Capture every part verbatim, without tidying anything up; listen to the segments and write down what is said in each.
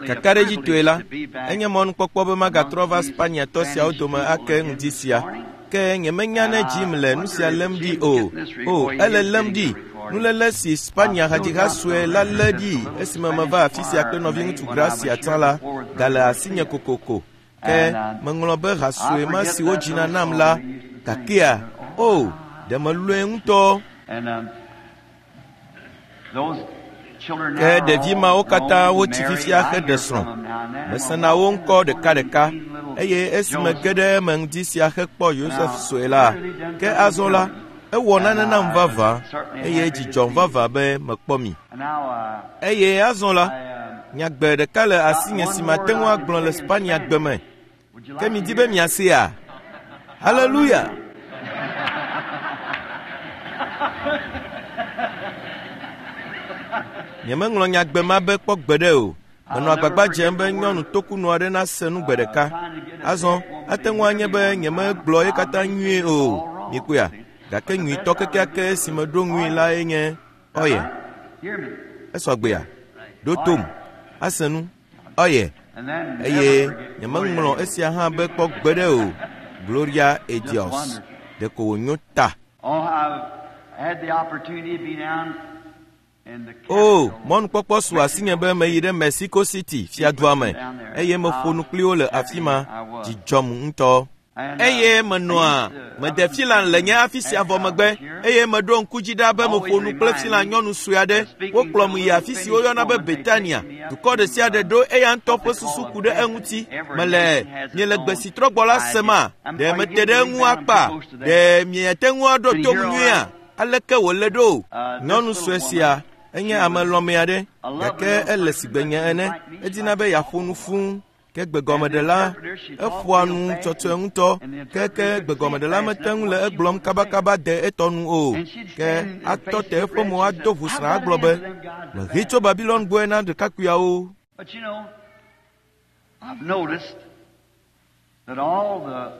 Kakaɖedzitɔe la, enye mɔnukpɔkpɔ be magatrɔ va Spaniatɔ siawo dome ake ŋdi sia. Ke nyemenya ne Jim le nu sia lém ɖi o. O, ele lém ɖi. Nuléle si Spania hadziha sue la lé ɖi esime meva afi sia kple nɔviŋutsu Gracia tsã la gale asinye kokoko. Ke meŋlɔ be ha sue ma si wodzina nam la gakea, o, ɖe melɔ̃e ŋutɔ. Ke ɖevi mawo katã wotsi fifia heɖe srɔ̃. Mesena wo ŋkɔ ɖekaɖeka eye esime ge ɖe eme ŋdi sia hekpɔ Yosef sue la, ke azɔ la, ewɔ nane nam vavã eye dzidzɔm vavã be mekpɔ mi. Eye azɔ la, nyagbe ɖeka le asinye si mate ŋu agblɔ le Spania gbe me. Ke midi be miasea? Haleluya! Nyemeŋlɔ nyagbe ma be kpɔ gbeɖe o. Menɔ agbagba dzem be nyɔnu tokunɔ aɖe nase nu gbe ɖeka. Azɔ, ate ŋu anye be nyemegblɔ ye katã nyuie o. Mikpɔea? Gake nyuitɔ kekeake si meɖo ŋui lae nye ɔyɛ. Esɔgbea? Ɖo tom. Ase nu. Ɔyɛ. Eye nyemeŋlɔ esia hã be kpɔ gbeɖe o. Gloria a Dios. Ɖeko wònyo ta. O, mɔnukpɔkpɔ su asinye be meyi ɖe Mexico City fiadua me eye meƒo nu kpli wo le afi ma. Dzidzɔm ŋutɔ. Eye menɔa mede Finland le nye afi sia vɔ megbe eye meɖo ŋku dzi ɖa be meƒo nu kple Finland nyɔnu sue aɖe. Wokplɔm yi afi si woyɔna be Betania. Dukɔ ɖe sia ɖe ɖo eya ŋutɔ ƒe susu ku ɖe eŋuti. Mele miele gbe si trɔ gbɔ la sema? Ɖe mete ɖe eŋu akpa? Ɖe miate ŋu aɖo tom nyuia? Aleke wòle ɖo? Nyɔnu sue sia enye ame lɔ̃me aɖe gake ele sigbe nye ene. Edina be yeaƒo nu fũu. Ke gbegɔmeɖela eƒoa nu tsɔtsɔe ŋutɔ. Ke ke gbegɔmeɖela mete ŋu le egblɔm kabakaba de etɔ nu o. Ke atɔ te eƒe mo ado ʋusrã agblɔ be, mehe tso Babilon gbɔe na ɖekakpuiawo. But you know, I've noticed that all the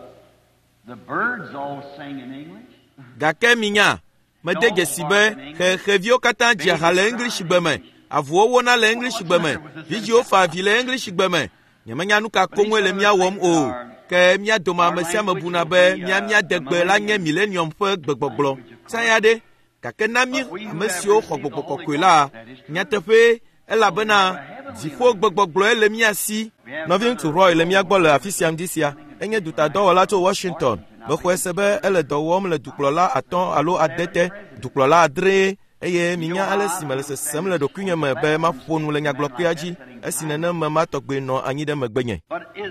the birds all sing in English. Gake minya, mede dzesi be xexeviwo katã dzia ha le English gbe me. Avuwo wona le English gbe me. Vidziwo fa avi le English gbe me. Nyemenya nu ka koŋue le mía wɔm o. Ke mía dome ame sia ame buna be mía mía degbe la nye millennium ƒe gbegbɔgblɔ. Tsã ɖe, gake na mí ame siwo xɔ gbɔgbɔ kɔkɔe la, nyateƒe elabena dziƒo gbegbɔgblɔe le mía si. Nɔviŋutsu Roy le mía gbɔ le afi sia ŋdi sia. Enye dutadɔwɔla tso Washington. Mexɔe se be ele dɔ wɔm le dukplɔla atɔ̃ alo ade te, dukplɔla adree eye minya ale si mele sesem le ɖokuinye me be maƒo nu le nyagblɔkpea dzi esi nenem me ma tɔgbe nɔ anyi ɖe megbenye.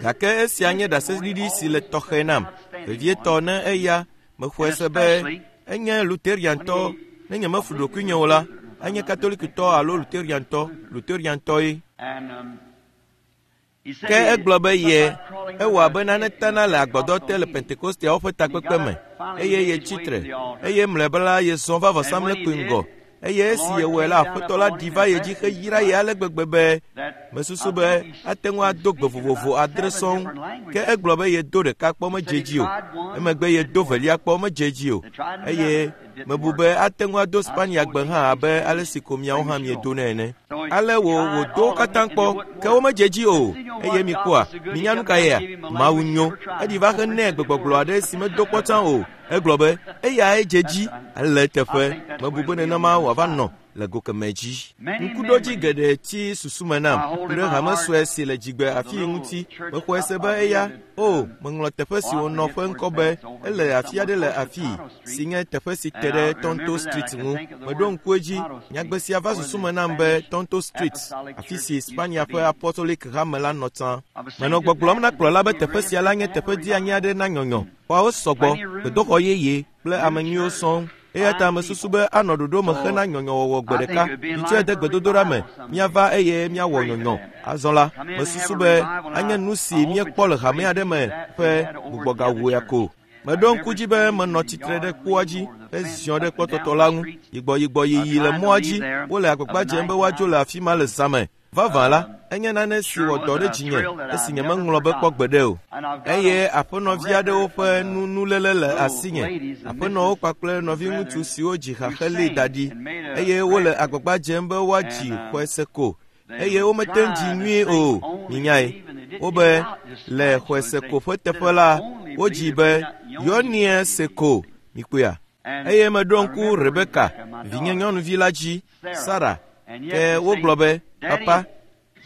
Gake esia nye ɖaseɖiɖi si le tɔxɛ nam, vevietɔ ne eya mexɔe se be enye Luteriantɔ. Ne nyemeflu ɖokuinye o la, enye Katolikitɔ alo Luteriantɔ, Luteriantɔe. Ke egblɔ be ye ewɔ abe nane tana le agbadɔ te le Pentekosteawo ƒe takpekpe me eye yetsi tre eye mlɔeba la yezɔ va vɔsamlekpui ŋgɔ eye esi yewɔe la aƒetɔ la ɖi va ye dzi heyra ye ale gbegbe be mesusu be ate ŋu ado gbe vovovo adre sɔŋ. Ke egblɔ be yedo ɖeka kpɔ medze dzi o, emegbe yedo velia kpɔ medze dzi o eye mebu be ate ŋu ado Spania gbe hã abe ale si ko miawo hã miedonɛ ene. Ale wò wòdo wo katã kpɔ ke womedze dzi o eye mikpɔa minya nu ka yea? Mawu nyo. Eɖi va henɛ gbegbɔgblɔ aɖe si medo kpɔ tsã o. Egblɔ be eyae dze dzi ele eteƒe. Mebu be nenema wòava nɔ le go kemɛ dzi. Ŋkuɖodzi geɖe tsi susu me nam ku ɖe hame sue si le dzigbe afii ŋuti. Mexɔe se be eya, o, meŋlɔ teƒe si wònɔ ƒe ŋkɔ be ele afi aɖe le afii si nye teƒe si te ɖe Tonto Street ŋu. Meɖo ŋku edzi, nyagbe sia va susu me nam be Tonto Street, afi si Spania ƒe Apostolic hame la nɔ tsã. Menɔ gbɔgblɔm na kplɔla be teƒe sia la nye teƒe dzeani aɖe na nyɔnyɔ. Xɔawo sɔgbɔ, gbedoxɔ yeye kple ame nyuiwo sɔŋ. Eya ta mesusu be anɔ ɖoɖo me hena nyɔnyɔwɔwɔ gbe ɖeka. Mitsɔe de gbedodoɖa me, míava eye míawɔ nyɔnyɔ. Azɔ la, mesusu be anye nu si míekpɔ le hame aɖe me ƒe gbugbɔgawɔe ko. Meɖo ŋku dzi be menɔ tsitre ɖe kpoa dzi heziɔ ɖe kpɔtɔtɔ la ŋu. Yigbɔyigbɔ yiyi le mɔa dzi, wole agbagba dzem be woadzo le afi ma le zã me. Vavã la, enye nane si wɔ dɔ ɖe dzinye esi nyemeŋlɔ be kpɔ gbeɖe o. Eye aƒenɔvi aɖewo ƒe nunuléle le asinye. Aƒenɔwo kpakple nɔviŋutsu siwo dzi ha heli da ɖi eye wole agbagba dzem be woadzi xɔese ko. eye womete ŋu dzi nyuie o minyae wobe le xɔeseko ƒe teƒe la wodzi be yɔnie seko mikpɔea eye meɖo ŋku Rebeka vinye nyɔnuvi la dzi Sara ke wogblɔ be papa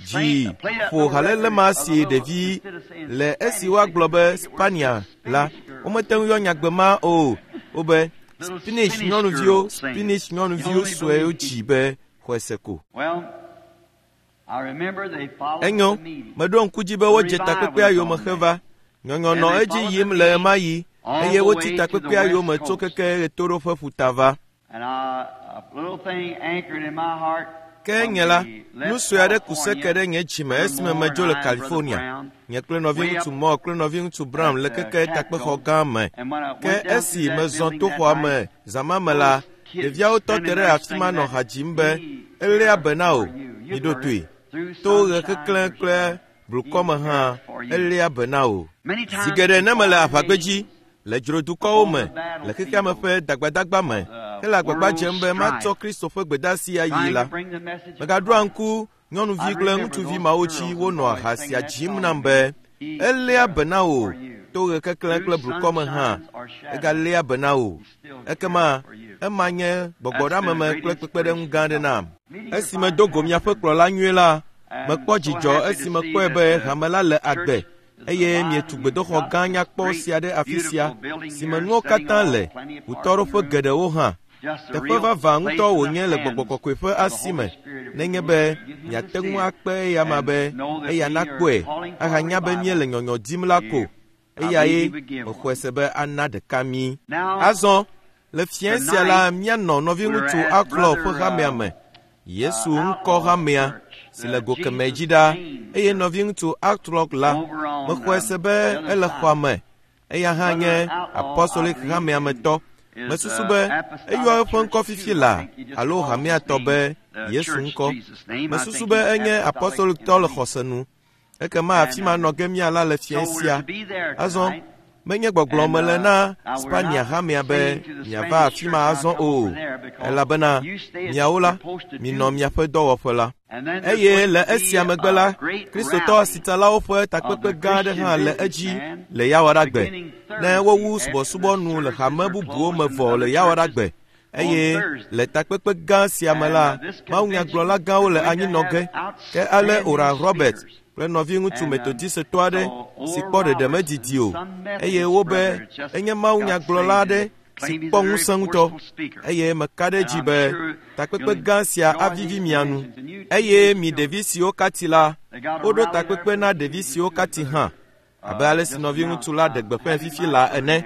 dzi ƒo halele ma si ɖevi le esi woagblɔ be Spania la womete ŋu yɔ nyagbe ma o wobe Spanish nyɔnuviwo Spanish nyɔnuviwo suewo dzi be xɔeseko. Enyo meɖo ŋku dzi be wodze takpekpea yome heva nyɔnyɔ nɔ edzi yim le ɣemaɣi eye wotsi takpekpea yome tso keke ɣetoɖoƒe ƒuta va. Ke nye la nu sue aɖe ku seke ɖe nye dzime esime medzo le California. Nye kple nɔviŋutsu Moore kple nɔviŋutsu Brown le keke takpexɔ gã me. Ke esi mezɔ to xɔa me zã ma me la, ɖeviawo tɔ te ɖe afi ma nɔ ha dzim be eléa be na wò miɖo toe. To ɣe keklẽ kple blukɔ me hã eléa be na wò. Zi geɖe ne mele aʋagbedzi le dzrodukɔwo me le xexea me ƒe dagbadagba me hele agbagba dzem be matsɔ Kristo ƒe gbedeasi ayi la, megaɖoa ŋku nyɔnuvi kple ŋutsuvi mawo dzi wonɔa ha sia dzim nam be eléa be na wò to ɣe keklẽ kple blukɔ me hã egaléa be na wò. Ekema ema nye gbɔgbɔɖeameme kple kpekpeɖeŋu gã aɖe nam. Esi medo go miaƒe kplɔla nyuie la, mekpɔ dzidzɔ esi mekpɔe be hame la le agbe eye mietu gbedoxɔ gã nyakpɔ sia ɖe afi sia si me nuwo katã le ʋutɔɖoƒe geɖewo hã. Teƒe vavã ŋutɔ wònye le gbɔgbɔ kɔkɔe ƒe asi me nenye be miate ŋu akpe eya ma be eya nakpɔe ahanya be míele nyɔnyɔ dim la ko eyae mexɔe se be ana ɖeka mí. Azɔ le fiẽ sia la míanɔ nɔviŋutsu Outlaw ƒe hamea me Yesu ŋkɔ hamea si le go kemɛ dzi ɖa eye nɔviŋutsu Outlaw la mexɔe se be ele xɔa me eya hã nye apostolic hamea me tɔ. Mesusu be eyɔ eƒe ŋkɔ fifi la alo hamea tɔ be Yesu ŋkɔ. Mesusu be enye apostolic tɔ le xɔse nu. Ekema afi ma nɔ ge míala le fiẽ sia. Azɔ menye gbɔgblɔ mele na Spania hamea be miava afi ma azɔ o elabena miawo la minɔ miaƒe dɔwɔƒe la. Eye le esia megbe la Kristotɔ asitsalawo ƒe takpekpe gã aɖe hã le edzi le Yawoɖagbe ne wowu subɔsubɔ nu le hame bubuwo me vɔ le Yawoɖagbe eye le takpekpe gã sia me la mawunyagblɔla gãwo le anyinɔ ge ke ale Oral Roberts kple nɔviŋutsu metodistɔ aɖe si kpɔ ɖeɖe medidi o eye wobe enye mawunyagblɔla aɖe si kpɔ ŋusẽ ŋutɔ eye meka ɖe edzi be takpekpe gã sia avivi mia nu eye mi ɖevi siwo kati la woɖo takpekpe na ɖevi siwo kati hã abe ale si nɔviŋutsu la ɖe gbeƒãe fifi la ene.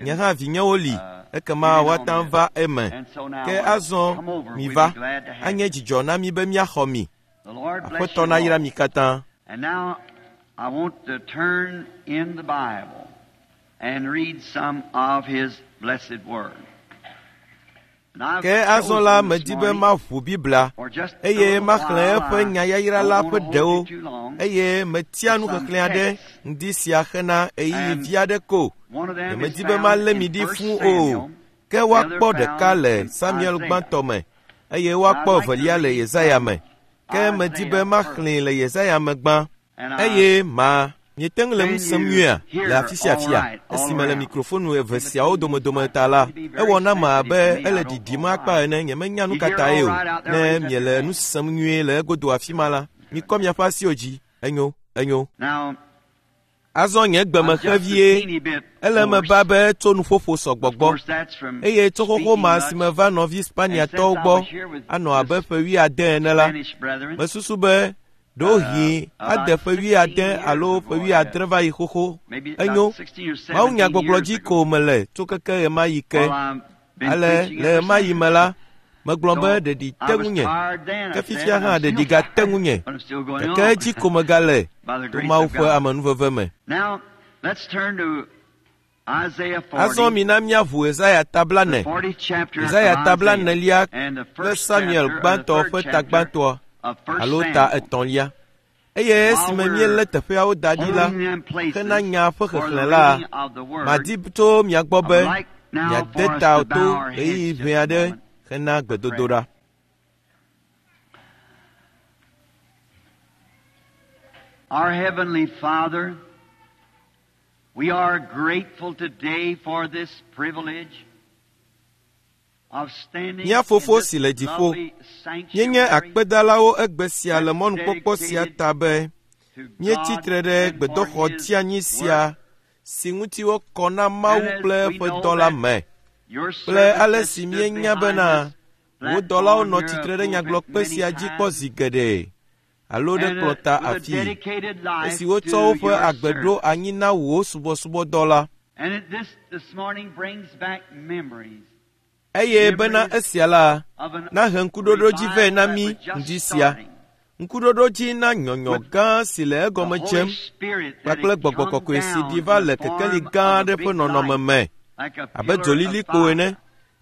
Nye hã vinyewo li ekema woate ŋu va eme. Ke azɔ miva anye dzidzɔ na mi be míaxɔ mi. Aƒetɔ nayra mi katã. And now I want to turn in the Bible and read some of His blessed word. Ke azɔ la medi be maʋu Biblia eye maxlẽ eƒe nyayayra la ƒe ɖewo eye metia nuxexlẽ aɖe ŋdi sia hena ɣeyiɣi vi aɖe ko. Nyemedi be malé mi ɖi fũu o. Ke woakpɔ ɖeka le Samuel gbãtɔ me eye woakpɔ evelia le Yesaya me. Ke medi be maxlẽe le Yesaya me gbã eye ma miete ŋu le nu sem nyuia le afi sia afia esime le mikrofonu eve siawo domedome ta la ewɔ nam abe ele ɖiɖim akpa ene nyemenya nu ka tae o. Ne miele nu sem nyuie le egodo afi ma la mikɔ miaƒe asiwo dzi. Enyo enyo. Azɔ nye gbeme xe vie ele me ba be tso nuƒoƒo sɔgbɔ gbɔ eye tso xoxo ma si me va nɔvi Spaniatɔwo gbɔ anɔ abe ƒe wuiade ene la mesusu be ɖewohĩ ade ƒe wuiade alo ƒe wuiadre va yi xoxo. Enyo mawunyagbɔgblɔ dzi ko mele tso keke ɣemaɣi ke. Ale le ɣemaɣi me la megblɔ be ɖeɖi te ŋunye ke fifia hã ɖeɖi gate ŋunye gake edzi ko megale to Mawu ƒe amenuveve me. Azɔ mina míaʋu Yesaya ta blaene, Yesaya ta blaenelia kple Samuel gbãtɔ ƒe ta gbãtɔa alo ta etɔ̃lia. Eye esime míelé teƒeawo da ɖi la hena nya ƒe xexlẽ la, madi tso mia gbɔ be miade ta to ɣeyiɣi ʋɛ aɖe hena gbedodoɖa. Our Heavenly Father, we are grateful today for this privilege of standing Mía Fofo in this si le dziƒo, lovely Míenye sanctuary akpedalawo egbe sia le mɔnukpɔkpɔ sia ta be to míetsi God tre ɖe and for gbedoxɔ His dzianyi sia work. si ŋuti wokɔ na Mawu And as kple we eƒe know dɔ la that me Your kple servant ale has si stood míenya behind bena this wò dɔlawo platform nɔ here tsitre a ɖe pulpit nyagblɔkpe many sia dzi kpɔ times, zi geɖe alo ɖe and uh, kplɔta with a afii dedicated life esi wotsɔ to woƒe your agbe ɖo service. anyi na wò subɔsubɔdɔ la. And it, this this morning brings back memories Eye bena Memories esia la of an nahe ŋkuɖoɖo dzi vɛ revival na that mí was just ŋdi sia. starting. Ŋkuɖoɖo dzi na nyɔnyɔ With gã si le the egɔme Holy dzem Spirit that kpakple had gbɔgbɔ come kɔkɔe si down ɖi in va the le kekeli form gã of a aɖe ƒe big nɔnɔme light, me like a abe pillar of dzolilikpo fire. ene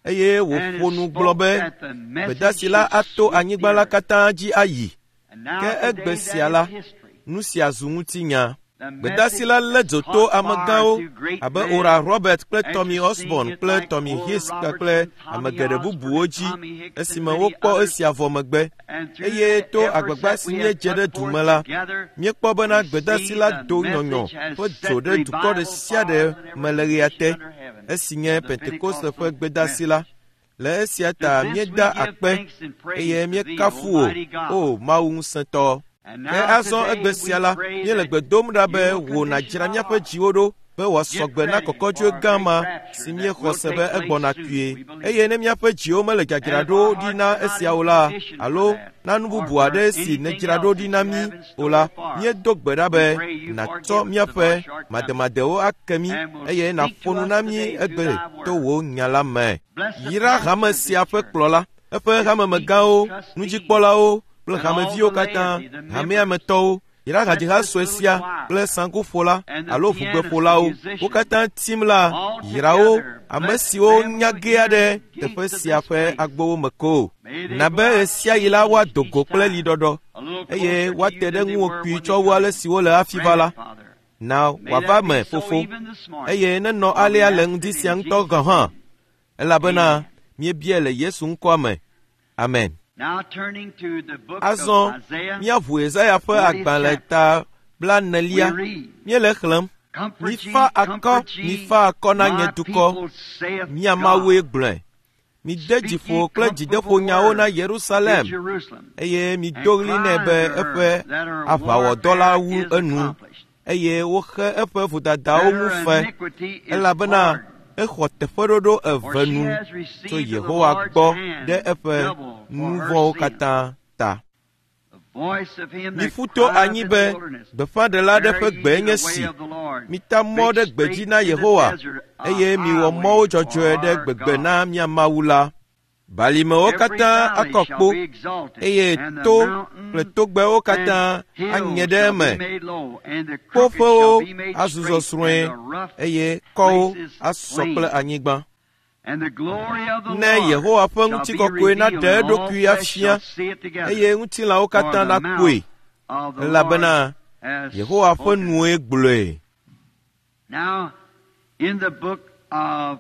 eye And wòƒo it nu gblɔ spoke be that the message gbedasi la should ato sweep anyigba the la earth. katã dzi ayi. And now Ke egbe today sia that la is history. nu sia zu ŋutinya. The Gbedasi message la lé has dzo to caught fire amegãwo through great abe men Oral Robert kple Tommy interesting Osborn it kple like Tommy Oral Hicks Roberts kpakple and ame Tommy geɖe Osborn bubuwo and dzi Tommy Hicks and esime many wokpɔ others. esia vɔ megbe. And through Eye the to efforts agbagba that si we have míedze ɖe put du me forth la, together, míekpɔ bena we gbedasi see la the do nyɔnyɔ message has ƒe set dzo ɖe dukɔ ɖe revival sia ɖe fires in every me le ɣea nation te under heaven esi nye of the Pentekoste ƒe Pentecostal gbedasi la. message. Le esia To ta this we míeda give akpe thanks and praise eye to thee, míekafu wò, Almighty God. O Mawu ŋusẽtɔ. And Ke now azɔ today egbe we sia la, pray míele that gbe dom ɖa be you will wò condition nàdzra our míaƒe hearts. dziwo ɖo be wòasɔ Get gbe na ready kɔkɔdzoe for a gã great ma rapture si that míexɔ will se take be place egbɔna soon, kpuie. we believe. Eye ne míaƒe dziwo mele And if dzadzraɖo our ɖi hearts na are not esia in o la, condition for alo that, na nu or bubu for aɖe si anything nèdzra else ɖo ɖi that na you mí have in o store la, for us, míedo gbe ɖa we be pray you nàtsɔ forgive us of our míaƒe shortcomings mademadewo ake mí and will eye speak nàƒo to nu us na mí today through egbe thy to word. wò nya la me. Bless the Yra pastor hame of this sia ƒe church, kplɔla, eƒe his hamemegãwo, deacons, trustees, nudzikpɔlawo kple and all hameviwo the katã, laity, the hamea me members. tɔwo. Yra Bless hadziha this sue little sia choir kple saŋkuƒola and the alo pianist, the ʋugbeƒolawo. Wo musicians, katã tim la, all yra wo together. ame Bless siwo them nya who gea enter ɖe the teƒe gates of sia this ƒe place. agbowo me ko. May they Na go be out ɣesiaɣi la changed woado each go kple time, liɖɔɖɔ a little eye closer to woate you ɖe than they ŋuwò were kpuie when tsɔ they wu come ale in. si wole hafi va Grant la. it, Father. Na May wòava that be me, so Fofo, even this morning, eye nenɔ for we alea le ask ŋdi it sia in ŋutɔ Jesus' gɔ̃ hã name. elabena Amen. míebiae le Yesu ŋkɔa me. Amen. Now turning to the book of Azɔ Isaiah, míaʋu Yesaya ƒe fortieth agbalẽ chapter. ta We blaenelia. read, Míele xlẽm. Comfort ye, Mifa akɔ, comfort ye, mifa akɔ na nye my dukɔ. people, saith Mía God. Mawue gblɔe. Mide Speak dzi ye ƒo kple comfortable dzideƒonyawo na words to Yerusalem Jerusalem, eye and mido ɣli cry nɛ be unto her eƒe that her aʋawɔdɔ la warfare wu is enu accomplished, eye woxe eƒe vodadawo that ŋu her fe iniquity is elabena pardoned. exɔ teƒeɖoɖo For eve she nu has tso received of the Yehowa Lord's gbɔ hand ɖe eƒe double for nu her vɔ̃wo sin. katã ta. The voice of him that Miƒu to crieth anyi in be the wilderness, gbeƒãɖela aɖe Prepare ƒe ye gbee the nye way si. of the Lord, Mita mɔ make ɖe gbedzi straight na in the Yehowa desert a eye miwɔ mɔwo highway for dzɔdzɔe ɖe our gbegbe God. na mía Mawu la. Balimewo Every katã valley akɔ shall kpo be exalted, eye and the to kple mountains togbɛwo and katã anye hills ɖe shall be eme. made low, and the crooked Kpoƒewo shall be made azu straight, zɔzrɔ̃e and the rough eye kɔwo places asɔ kple plain. anyigba. And the glory of the Ne Lord Yehowa ƒe shall be ŋutikɔkɔe revealed, naɖe and all eɖokui flesh afia shall see it together. eye ŋutilãwo For katã the nakpɔe mouth of the Lord elabena has Yehowa ƒe spoken. nue gblɔe. Now, in the book of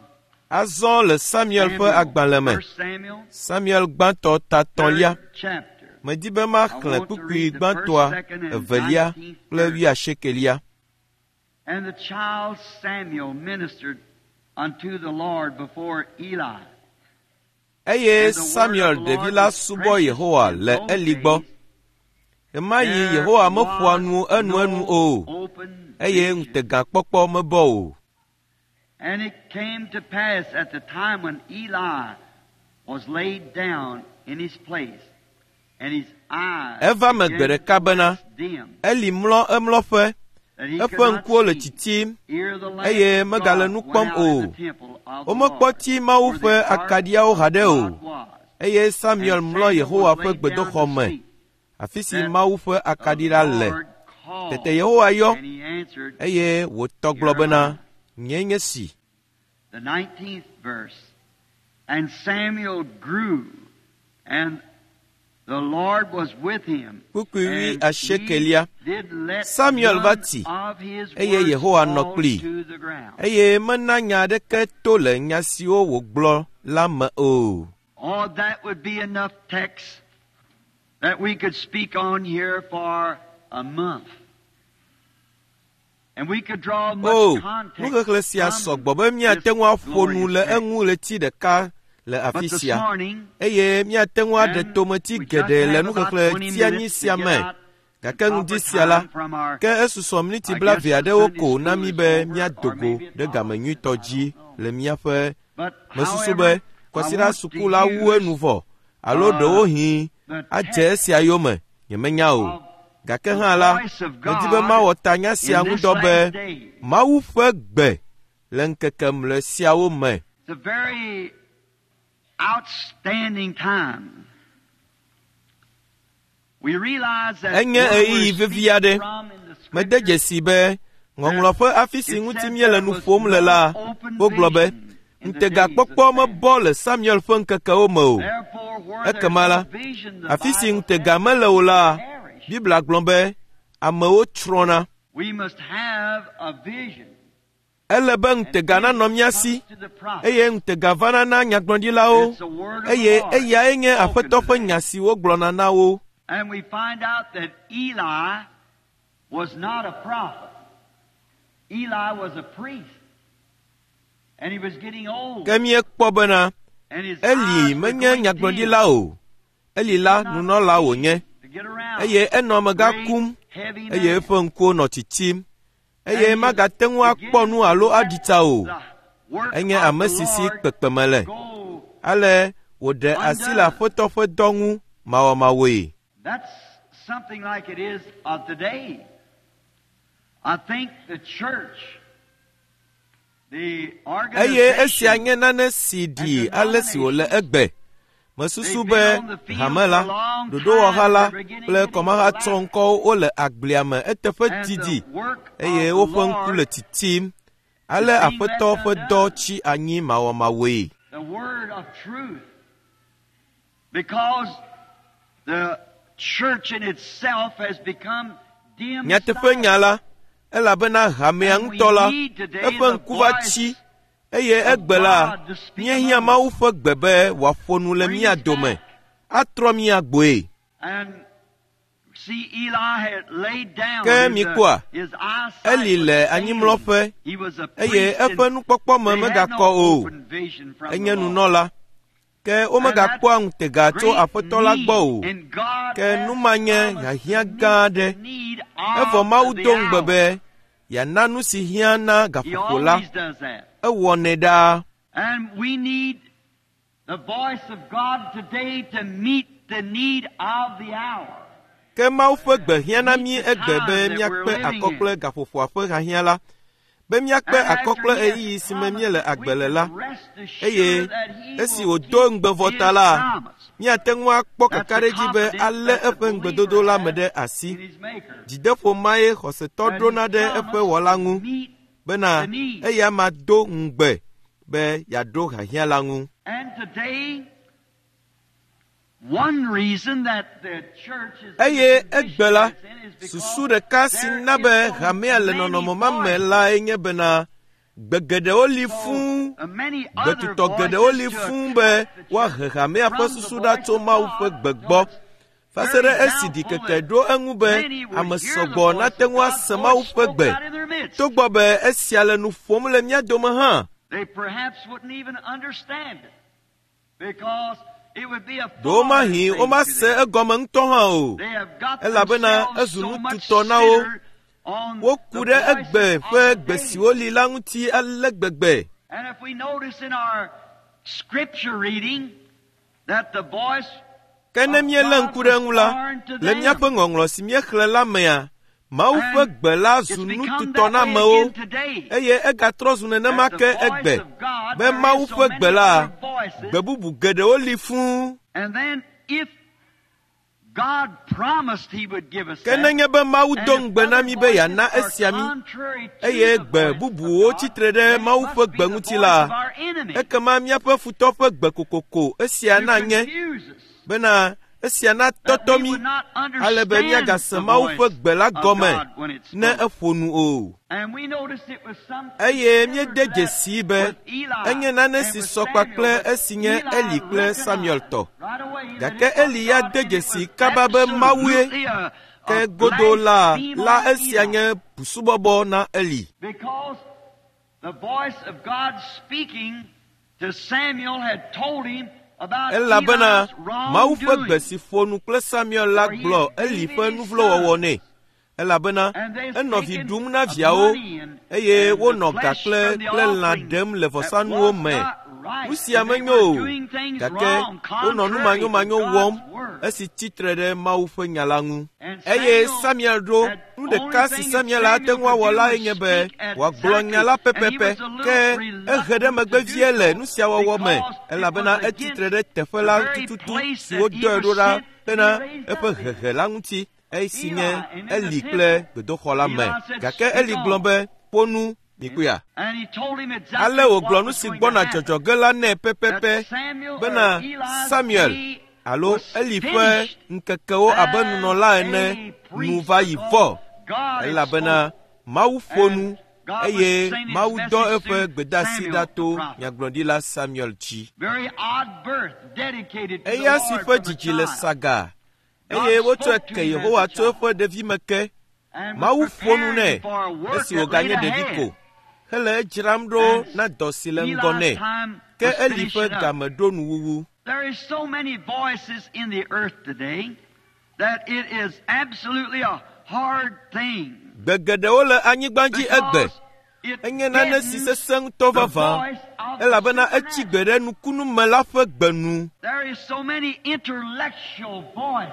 Azɔ le Samuel ƒe Samuel, agbalẽ me, First Samuel, Samuel gbãtɔ ta tɔ̃lia, third chapter. medi be I maxlẽ want to kpukpui read the first, gbãtɔa, second, and evelia nineteenth kple verse. wuiasiekelia. And the child Samuel ministered unto the Lord before Eli. Eye And the word Samuel of the ɖevi Lord la was subɔ precious Yehowa in le those Eli gbɔ. days. Ɣemaɣi There Yehowa meƒoa was nu enuenu no o, open eye vision. ŋutegakpɔkpɔ mebɔ o. And it came to pass at the time when Eli was laid down in his place, and his eyes Eva me gbe began ɖeka to bena wax dim, Eli mlɔ emlɔƒe, that he eƒe could not ŋkuwo le see. tsitsim Ere the lamp eye of megale God nu went kpɔm out in o. the temple of the Womekpɔ Lord, ti Mawu where ƒe the ark akaɖiawo of haɖe o. God was. Eye Samuel And mlɔ Samuel Yehowa was ƒe laid down gbedoxɔ to me, sleep. afi si That Mawu ƒe the akaɖi la le. Lord Tete called, Yehowa yɔ and he answered, eye wòtɔ gblɔ Here am bena, I. Nyee nye si. The nineteenth verse. And Samuel grew, and the Lord was with him, Kpukpui and he asiekelia. did let Samuel va none tsi of his eye words Yehowa nɔ fall kplii to the ground. eye mena nya aɖeke to le nya siwo wògblɔ la me o. Oh, that would be enough text that we could speak on here for a month. O, nuxexlẽ sia sɔgbɔ be míate ŋu aƒo nu le eŋu ɣleti ɖeka le afi sia, eye míate ŋu aɖe tometi geɖe le nuxexlẽ tianyi sia me. Gake ŋdi sia la, ke esusɔ miniti blaeve aɖewo ko na mí be míado go ɖe game nyuitɔ dzi le míaƒe mesusu be kwasiɖa suku la wu enu vɔ alo ɖewohĩ adze esia yome, nyemenya o. Gake hã la, medi be mawɔ tanya sia ŋudɔ be Mawu ƒe gbe le ŋkeke mlɔe siawo me. Enye ɣeyiɣi vevi aɖe. Mede dzesi be ŋɔŋlɔ ƒe afi si ŋuti míele nu ƒom le la, wogblɔ be ŋutegakpɔkpɔ mebɔ le Samuel ƒe ŋkekewo me o. Ekema la, afi si ŋutega mele o la, Biblia gblɔ be amewo tsrɔ̃na. Ele be ŋutega nanɔ mía si, eye ŋutega vana na nyagblɔɖilawo, eye eyae nye Aƒetɔ ƒe nya si wogblɔna na wo. And we find out that Eli was not a prophet. Eli was a priest. And he was getting old. Ke míekpɔ bena And his Eli eyes were menye going nyagblɔɖila dim o. Eli la nunɔla wònye, to get around. eye enɔ amegã Great, kum, heavy eye man. eƒe ŋkuwo nɔ tsitsim, eye magate ŋu akpɔ nu alo aɖi tsa o. The work Enye of ame the si si Lord kpekpeme le. go. Ale wòɖe asi le Aƒetɔ ƒe dɔ ŋu mawɔmawɔe. That's something like it is of today. I think the church, the Eye esia organization, nye nane si ɖi ale si wòle egbe. Mesusu be hame la, ɖoɖowɔha la kple kɔmahatsɔŋkɔwo wole agblea me eteƒe and didi the work eye of the woƒe ŋku le Lord, tsitsim. Ale Aƒetɔ ƒe dɔ tsi anyi mawɔmawɔe. the word of truth, because the church in itself has become dim. Nyateƒe nya la, elabena hamea ŋutɔ la, eƒe ŋku va tsi eye egbe la, míehiã Mawu ƒe gbe be wòaƒo nu le mía dome, atrɔ mía gbɔe. And see, Eli had laid down Ke his, uh, mikpɔa, his eyesight Eli was le failing. anyimlɔƒe He was a eye priest eƒe and nukpɔkpɔ me they had megakɔ no o. open vision from Enye the Lord. nunɔla. Ke womegakpɔa ŋutega tso Great Aƒetɔ la gbɔ o. need, and God Ke has nu ma nye promised hiahiã to meet gã aɖe. the need Evɔ of Mawu the do ŋugbe hour. be yeana nu si hiã na He gaƒoƒo la. always does that. Ewɔnɛ ɖaa. And we need the voice of God today to meet the need of the hour. Ke Mawu ƒe gbe hiã na mí egbe be míakpe akɔ kple gaƒoƒoa ƒe hiahiã la, be míakpe And akɔ after kple he has ɣeyiɣi si me míele promised, agbe we le can la. rest Eye assured that he esi will wòdo keep ŋugbe vɔ his ta la, promise. míate ŋu akpɔ That's the kakaɖedzi be confidence alé that the eƒe ŋugbedodo la me believer ɖe has asi. in his Maker. Dzideƒo mae xɔsetɔ That ɖona he ɖe eƒe promised wɔla to ŋu meet bena the need. eya ma do ŋugbe be yeaɖo hiahiã la ŋu. And today, one reason that the church is in the Eye condition egbe la, that it's in is because susu ɖeka si there na be is so hamea le many nɔnɔme ma me voices. lae nye bena gbe geɖewo li fũu, So, uh, many other gbetutɔ geɖewo li voices to fũu be attract the church woahe hamea ƒe from the susu ɖa voice tso of Mawu ƒe God. gbe So gbɔ. it's Va se very ɖe esi doubtful ɖikeke that ɖo eŋu be many will ame hear the sɔgbɔ voice nate of ŋu God, ase though Mawu it ƒe spoke gbe. out in their midst. Togbɔ be esia le nu ƒom le mía dome hã, They perhaps wouldn't even understand it because it would be a foreign ɖewomahi thing to womase them. egɔme ŋutɔ hã o. They have got Elabena themselves ezu so much nututɔ na wo. centered on Woku the ɖe voices egbe of ƒe the gbe day. siwo li la ŋuti ale gbegbe. And if we notice in our scripture reading that the voice Ke ne of míelé God ŋku ɖe was eŋu la, foreign to le them. míaƒe ŋɔŋlɔ si míexlẽ la mea, Mawu ƒe And gbe la it's zu become nututɔ that na way amewo again today. eye egatrɔ zu nenema That ke the voice egbe of God, be there Mawu is so ƒe many gbe la, other voices. gbe bubu geɖewo li fũu. And then if God promised he would give us Ke that, nenye be Mawu and do if ŋugbe na other mí be voices yeana are esia mí, contrary to eye the gbe voice of bubuwo God, tsitre ɖe then it Mawu must ƒe be gbe the ŋuti voice la, of our enemy ekema míaƒe futɔ ƒe gbe kokoko esia to nanye confuse us, bena esia that natɔtɔ we mí would not ale be understand míagase the Mawu ƒe voice gbe la of gɔme God when it ne spoke. eƒo nu o. And we noticed it was something Eye similar to míede that dzesii be with Eli enye nane and si with sɔ Samuel, kpakple but esi nye Eli Eli kple Samuel recognized tɔ. right away that Gake it was Eli ya God de and it dzesi was kaba be Mawue. absolutely a, Gake godo la la esia nye busubɔbɔ na Eli. Because the voice of God speaking to Samuel had told him about Elabena Eli's Mawu ƒe gbe wrongdoing. si ƒo nu kple Samuel la gblɔ Eli ƒe nuvlowɔwɔ nɛ. Elabena enɔ vi ɖum na viawo eye wonɔ ga kple kple lã ɖem le vɔsanuwo me. Nu sia menyo o, gake wonɔ nu manyomanyo wɔm esi tsitre ɖe Mawu ƒe nya la ŋu. Eye Samuel ɖo nu ɖeka si Samuel ate ŋu awɔ lae nye be wòagblɔ nya la pɛpɛpɛ ke ehe ɖe megbe vie le nu sia wɔwɔ me elabena etsitre ɖe teƒe la tututu si wodɔe ɖo ɖa hena eƒe hehe la ŋuti esi nye Eli kple gbedoxɔ la me. Gake Eli gblɔ be, ƒo nu mikpɔea. And he told him exactly Ale wògblɔ what nu was si going to gbɔna happen. dzɔdzɔ ge la nɛ pɛpɛpɛ That Samuel or bena Eli's Samuel day alo was Eli ƒe finished ŋkekewo abe nunɔla ene as a nu priest va yi because vɔ God had elabena spoken. Mawu ƒo nu And God was eye sending his Mawu dɔ message eƒe through gbedeasi Samuel ɖa the to prophet. nyagblɔɖila Samuel dzi. Very odd birth dedicated to the Eya si Lord ƒe from a dzidzi le child. saga God eye wotsɔe spoke to ke him as Yehowa a tso child eƒe ɖevime ke. and was Mawu ƒo nu preparing nɛ him for a work esi that wòganye laid ɖevi ahead. ko hele edzram ɖo And na dɔ si le ŋgɔ Eli's nɛ. time Ke was Eli ƒe finishing up. game ɖo nuwuwu. There is so many voices in the earth today that it is absolutely a hard thing. Gbe geɖewo le anyigba dzi egbe. Because it Enye nane si deadens sesẽ ŋutɔ the vavã voice of the elabena etsi gbe supernatural. ɖe nukunume la ƒe gbe nu. There is so many intellectual voices,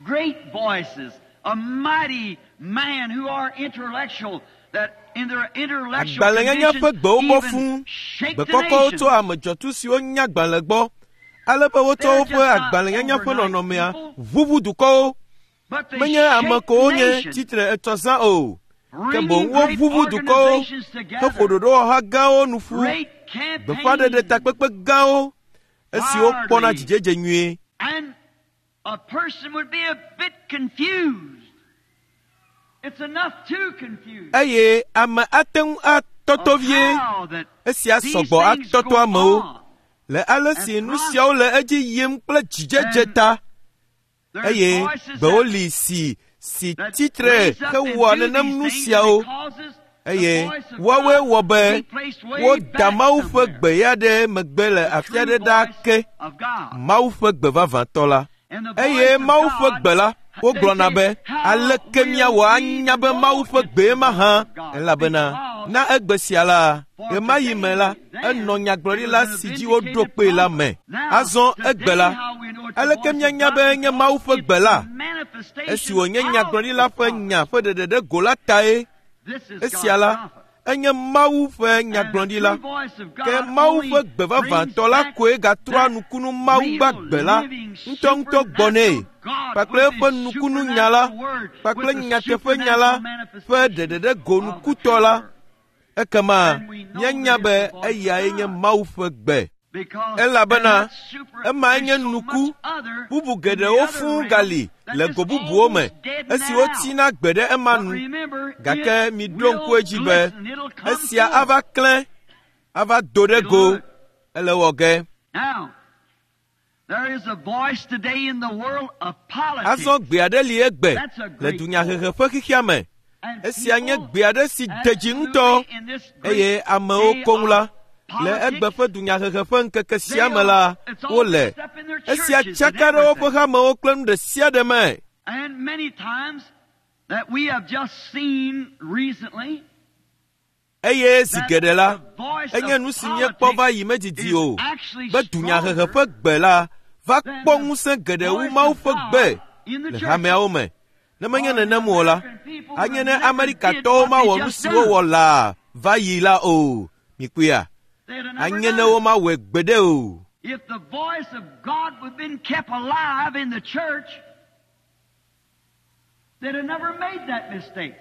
great voices, a mighty man who are intellectual that in their intellectual Agbalẽnyanya ƒe condition gbewo bɔ even fũu. shake Gbe the kɔkɔwo tso nations. ame dzɔtsu siwo nya agbalẽ gbɔ ale be wotsɔ They're woƒe just not agbalẽnyanya ƒe overnight nɔnɔmea people, ʋuʋu dukɔwo. but they Menye ame shake ko wonye nations, tsitre etsɔ zã o. Ke boŋ bringing great woʋuʋu dukɔwo organizations heƒo together, ɖoɖowɔha gãwo nu ƒu, great gbeƒãɖeɖe campaigns, takpekpe gãwo esiwo kpɔna wildly. dzidzedze nyuie. And a person would be a bit confused. It's enough to confuse Eye ame ate ŋu atɔtɔ of vie. how that Esia these sɔgbɔ things atɔtɔ go amewo on. le ale si nu siawo le edzi yim kple dzidzedze And ta there's eye voices gbewo that, li si si that tsitre raise up and hewɔa do nenem these nu things, and siawo it causes the eye voice of woawoe God wɔ to be be placed way woda back Mawu ƒe somewhere. gbe ya ɖe megbe le The afi true aɖe ɖaa voice ke of God. Mawu ƒe gbe vavãtɔ la. And the Eye voice of Mawu ƒe God, gbe la, they wogblɔna say, be how aleke will míawɔ we anya be Mawu know ƒe it's gbee the ma voice hã? of God? Elabena Because na egbe sia la, for ɣemaɣi me la, today, then, enɔ it was nyagblɔɖila an si dzi woɖo vindicated kpee la prophet. me. Now, Azɔ egbe today, la, how we know it's the aleke voice of míanya God be enye because Mawu ƒe it's gbe the la? Esi manifestation wònye of nyagblɔɖila the ƒe prophet. nya ƒe ɖeɖe ɖe go la tae, This is esia God's la, prophet. enye Mawu ƒe And the true nyagblɔɖila. voice of Ke God Mawu only ƒe gbe brings vavãtɔ la back koe gatrɔa that nukunu Mawu real, gbagbe la living, ŋutɔŋutɔ gbɔ nɛ supernatural God kpakple with eƒe His nukunu nya la supernatural word, kpakple with the nyateƒe nya la supernatural ƒe manifestation ɖeɖe ɖe go of the nukutɔ true la. word. Ekema And we know míanya that be it's the voice of eyae nye God. Mawu ƒe gbe. Because and Elabena that super emae there's nye so nuku much other bubu in the geɖewo other fũu realm gali that le just go bubuwo me almost deaden esi that wotsina out. gbe ɖe ema But nu. remember, Gake it miɖo ŋku will edzi be glisten. It'll come esia forth. ava klẽ, ava do ɖe It'll go. do it. Ele wɔ ge. Now, there is a voice today in the world of Azɔ politics. gbe aɖe li egbe That's a le great dunyahehe voice. ƒe xexea me. And Esia nye people gbe aɖe si de dzi ŋutɔ absolutely in this great eye amewo day koŋ la of le egbe politics, ƒe dunyahehe ƒe ŋkeke they sia me are, la it's all wole. mixed up in their Esia churches and tsaka ɖe woƒe everything. hamewo kple nu ɖe sia ɖe me. And many times that we have just seen recently Eye zi that geɖe la, the voice enye of nu si míekpɔ va politics yi medidi is o actually be dunyahehe stronger ƒe gbe la va than kpɔ the ŋusẽ geɖe wu voice Mawu of ƒe gbe God in the le churches. hameawo me. Ne menye Or the nenem o la, American people would anye have ne never did Amerikatɔwo what they mawɔ nu just si done. wowɔ laa va yi la o. Mikpɔea? They'd have never Anye done ne it. womawɔe gbeɖe o. If the voice of God would have been kept alive in the church, they'd have never made that mistake.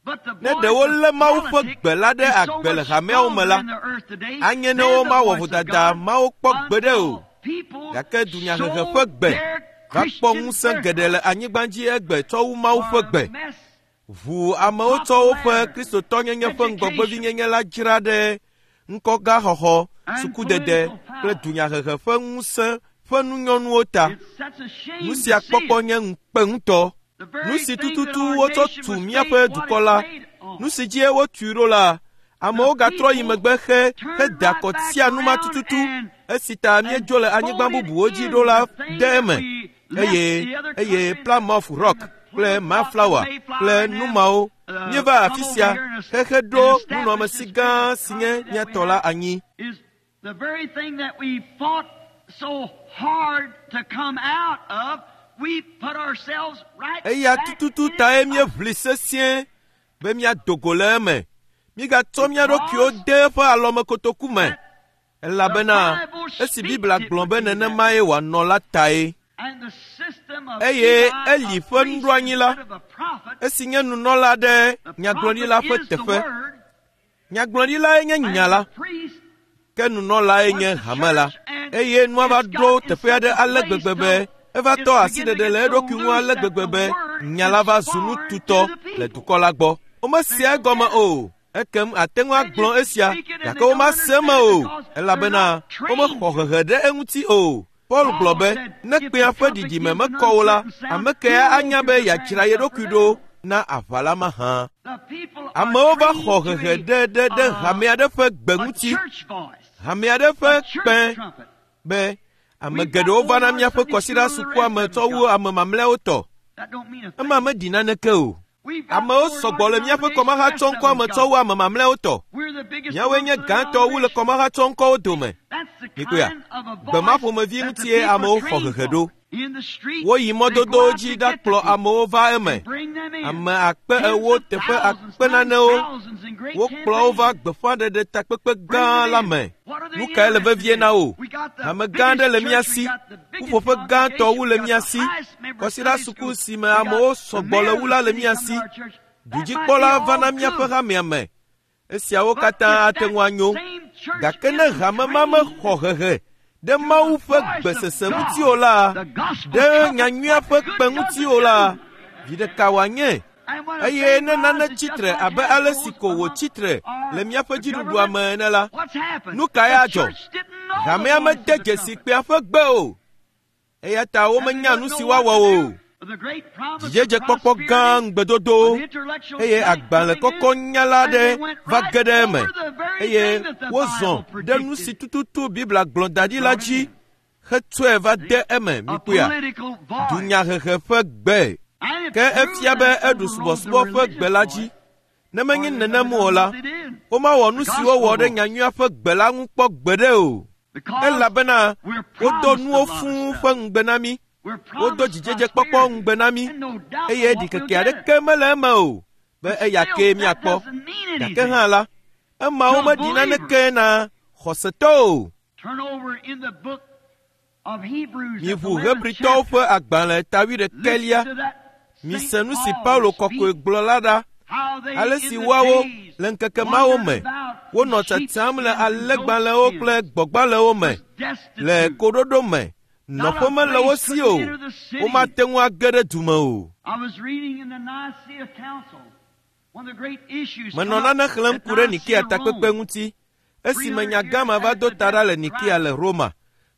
But the Ne voice ɖe of wolé Mawu ƒe politics gbe la ɖe is so agbe le much hameawo me stronger la, in the earth today anye ne than the womawɔ voice of vodada God mawo kpɔ gbeɖe o. until people Gake dunyahehe ƒe sold gbe their va kpɔ Christian ŋusẽ geɖe le birthright anyigba dzi egbe tsɔ wu Mawu ƒe for a gbe. mess Ʋu amewo tsɔ woƒe kristotɔnyenye ƒe ŋgɔgbevinyenye la dzra ɖe ŋkɔgaxɔxɔ, and sukudede political kple power. dunyahehe ƒe ŋusẽ ƒe nunyɔnuwo ta. Nu sia kpɔkpɔ nye ŋukpe ŋutɔ. Nu si tututu wotsɔ tu míaƒe dukɔ la, nu si dzie wotui ɖo la, amewo gatrɔ yi megbe xe heda akɔ tia nu ma tututu esi ta míedzo le anyigba bubuwo dzi ɖo la de eme. Eye eye Plymouth Rock kple Mayflower kple nu mawo míeva afi sia xexe ɖo nunɔamesi gã si nye mía tɔ la anyi. The very thing that we fought so hard to come out of, we put ourselves right Eya back tututu in it. tae míeʋli sesĩe be míado go le eme. Mígatsɔ mía ɖokuiwo de eƒe alɔmekotoku me elabena esi Biblia gblɔ be nenemae wòanɔ la tae. And the system of Eye Eli, Eli a ƒe priest nuɖoanyi la, instead of a prophet, esi nye nunɔla ɖe the nyagblɔɖila prophet ƒe is the teƒe. word, Nyagblɔɖilae nye and nya la, the priest ke nunɔlae nye hame la. Eye nua va ɖo teƒe aɖe ale gbegbe be eva tɔ asiɖeɖe le eɖokui ŋu ale gbegbe be nya la va zu nu tutɔ le dukɔ la gbɔ. Womesea egɔme o. Ekem ate ŋu agblɔ esia, gake womase eme o, elabena womexɔ hehe ɖe eŋuti o. Paul gblɔ be ne kpẽa ƒe ɖiɖime mekɔ o la, ame kae anya be yeadzra ye ɖokui ɖo na aʋa la mahã? The people are Amewo va trained xɔ to hehe a- ɖe ɖe ɖe a- hame aɖe ƒe gbe a ŋuti, church voice, hame aɖe ƒe a church kpẽ trumpet. be ame geɖewo vana míaƒe kɔsiɖa sukua me tsɔ wu ame mamlɛawo tɔ. That don't mean a thing. Ema meɖi naneke o. We've got Amewo more sɔgbɔ le míaƒe kɔmahatsɔŋkɔa me tsɔ wu ame mamlɛawo tɔ. We're the biggest Míawoe nye amongst the gãtɔ wu le kɔmahatsɔŋkɔwo dome. That's the Mikpɔea, kind of a gbe ma voice ƒomevi that the ŋutie people amewo xɔ trained hehe for. ɖo. In the street, Woyi they go mɔdodowo out dzi to get the ɖakplɔ people amewo va eme. bring them in. Ame akpe Tens ewo of teƒe thousands akpe times nanewo. thousands in great Wokplɔ wo va campaigns. gbeƒãɖeɖe takpekpe Bring gã them la in. me. What are they Nu kae le interested vevie in? na wo? We got the Hame gã aɖe biggest le mía church, we si. got the biggest Ƒuƒoƒe gãtɔ wu le congregation, we mía got the si. highest member Kɔsiɖa Sunday suku school. si me We got amewo the sɔgbɔ mayor le of wu the la le city mía come si. to our church. That might be Dudzikpɔla all va na míaƒe good. hamea me. Esiawo But katã if ate that ŋu anyo. same church Gake ne isn't hame ma trained mexɔ hehe ɖe Mawu ƒe gbesese ŋuti o la, the gospel ɖe trumpet, nyanyuia ƒe what kpe good ŋuti does o it la, do? vi ɖeka wòanye. And when a Eye thing ne nane rises tsi just tre like abe that ale si goes ko among wòtsi tre our le míaƒe dziɖuɖua government, me ene la, what's happened? nu kae The adzɔ? church didn't know the Hamea voice mede of the dzesi trumpet. kpea ƒe gbe o. Eya ta And they womenya don't nu know si what woawɔ to o. do. The great promise of Dzidzedzekpɔkpɔ gã prosperity, ŋugbedodowo an intellectual eye giant agbalẽ coming kɔkɔ in, nyala and aɖe they went va right ge ɖe eme over the very eye thing that the wozɔ Bible ɖe nu si predicted. tututu Biblia gblɔ da ɖi la Brought it dzi in. hetsɔe va de eme. A Mikpɔea, political voice. dunyahehe ƒe gbe. And it Ke proved efia be that eɖu overrode the subɔsubɔ ƒe religious gbe la voice, dzi. Ne or menye they nenem never o done la, what they did. womawɔ nu The si wowɔ gospel ɖe voice. nyanyuia ƒe gbe la ŋu kpɔ gbeɖe o. Because Elabena we're wodo promised a nuwo lot of fũu stuff. ƒe ŋugbe na mí. We're Wodo promised dzidzedzekpɔkpɔ prosperity. ŋugbe na mí And no doubt eye but what we'll ɖikeke get it. aɖeke mele eme o be But eya still, kee that míakpɔ. doesn't mean Gake anything. hã la, emawo To a meɖi believer. naneke na xɔsetɔ o. Turn over in the book of Hebrews at the Miʋu eleventh Hebritɔwo chapter. ƒe agbalẽ ta wuiɖekɛlia. Listen to that Mise Saint nu si Paul Paulo kɔkɔe speak, gblɔ la ɖa. how they Ale in si the woawo days le ŋkeke mawo wandered me about wonɔ in tsatsam le sheepskins and alẽgbalẽwo goatskins, kple gbɔ̃gbalẽwo me was le destitute. koɖoɖo me. Not Nɔƒe a mele wo place si could o. enter the city. Womate ŋu age ɖe du me o. I was reading in the Nicaea Council, one of the great issues Menɔ come up nane xlẽm at ku ɖe Nicaea, Nikea takpekpe Rome. ŋuti esime nya gã ma va do ta ɖa le Nikea le Roma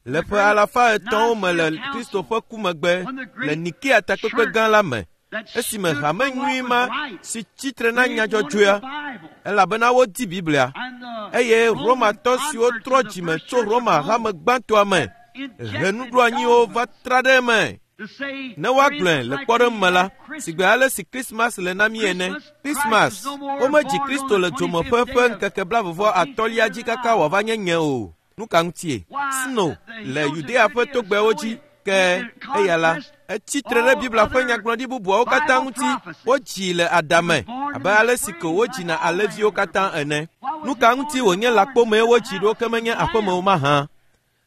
le ƒe alafa etɔ̃wo me le Kristo ƒe ku megbe le Nikea takpekpe gã la me That esime stood hame for nyui what ma was right. si tsitre na They nya wanted the dzɔdzɔea Bible. elabena wodi Biblia And the eye Roman Romatɔ siwo converts trɔ to the dzime first tso church of Roma Rome hame gbãtɔa me he injected nuɖoanyiwo dogma va tra ɖe eme to say, ne for woagblɔe instance, le like kpɔɖeŋu we me la have Christmas. sigbe ale si Krismas le na mí ene Christmas, Christ Krismas was no more womedzi born Kristo on le the dzomeƒe twenty-fifth ƒe day of ŋkeke blaeve atɔ̃lia dzi kaka wòava nye nye o. Nu ka ŋutie? Why, Sno the le hills of Yudea ƒe Judea togbɛwo snow dzi it, ke it eya la conquest etsi tre ɖe all Biblia ƒe other nyagblɔɖi bubuawo katã Bible ŋuti. prophecies. Wodzii le He adame was born in abe the ale si ko spring like wodzina all alẽviwo lambs are katã born. ene. Why was Nu he ka born ŋuti in the wònye barn lãkpomee instead of wodzi the ɖo house? ke He was menye a aƒeme lamb. o mahã?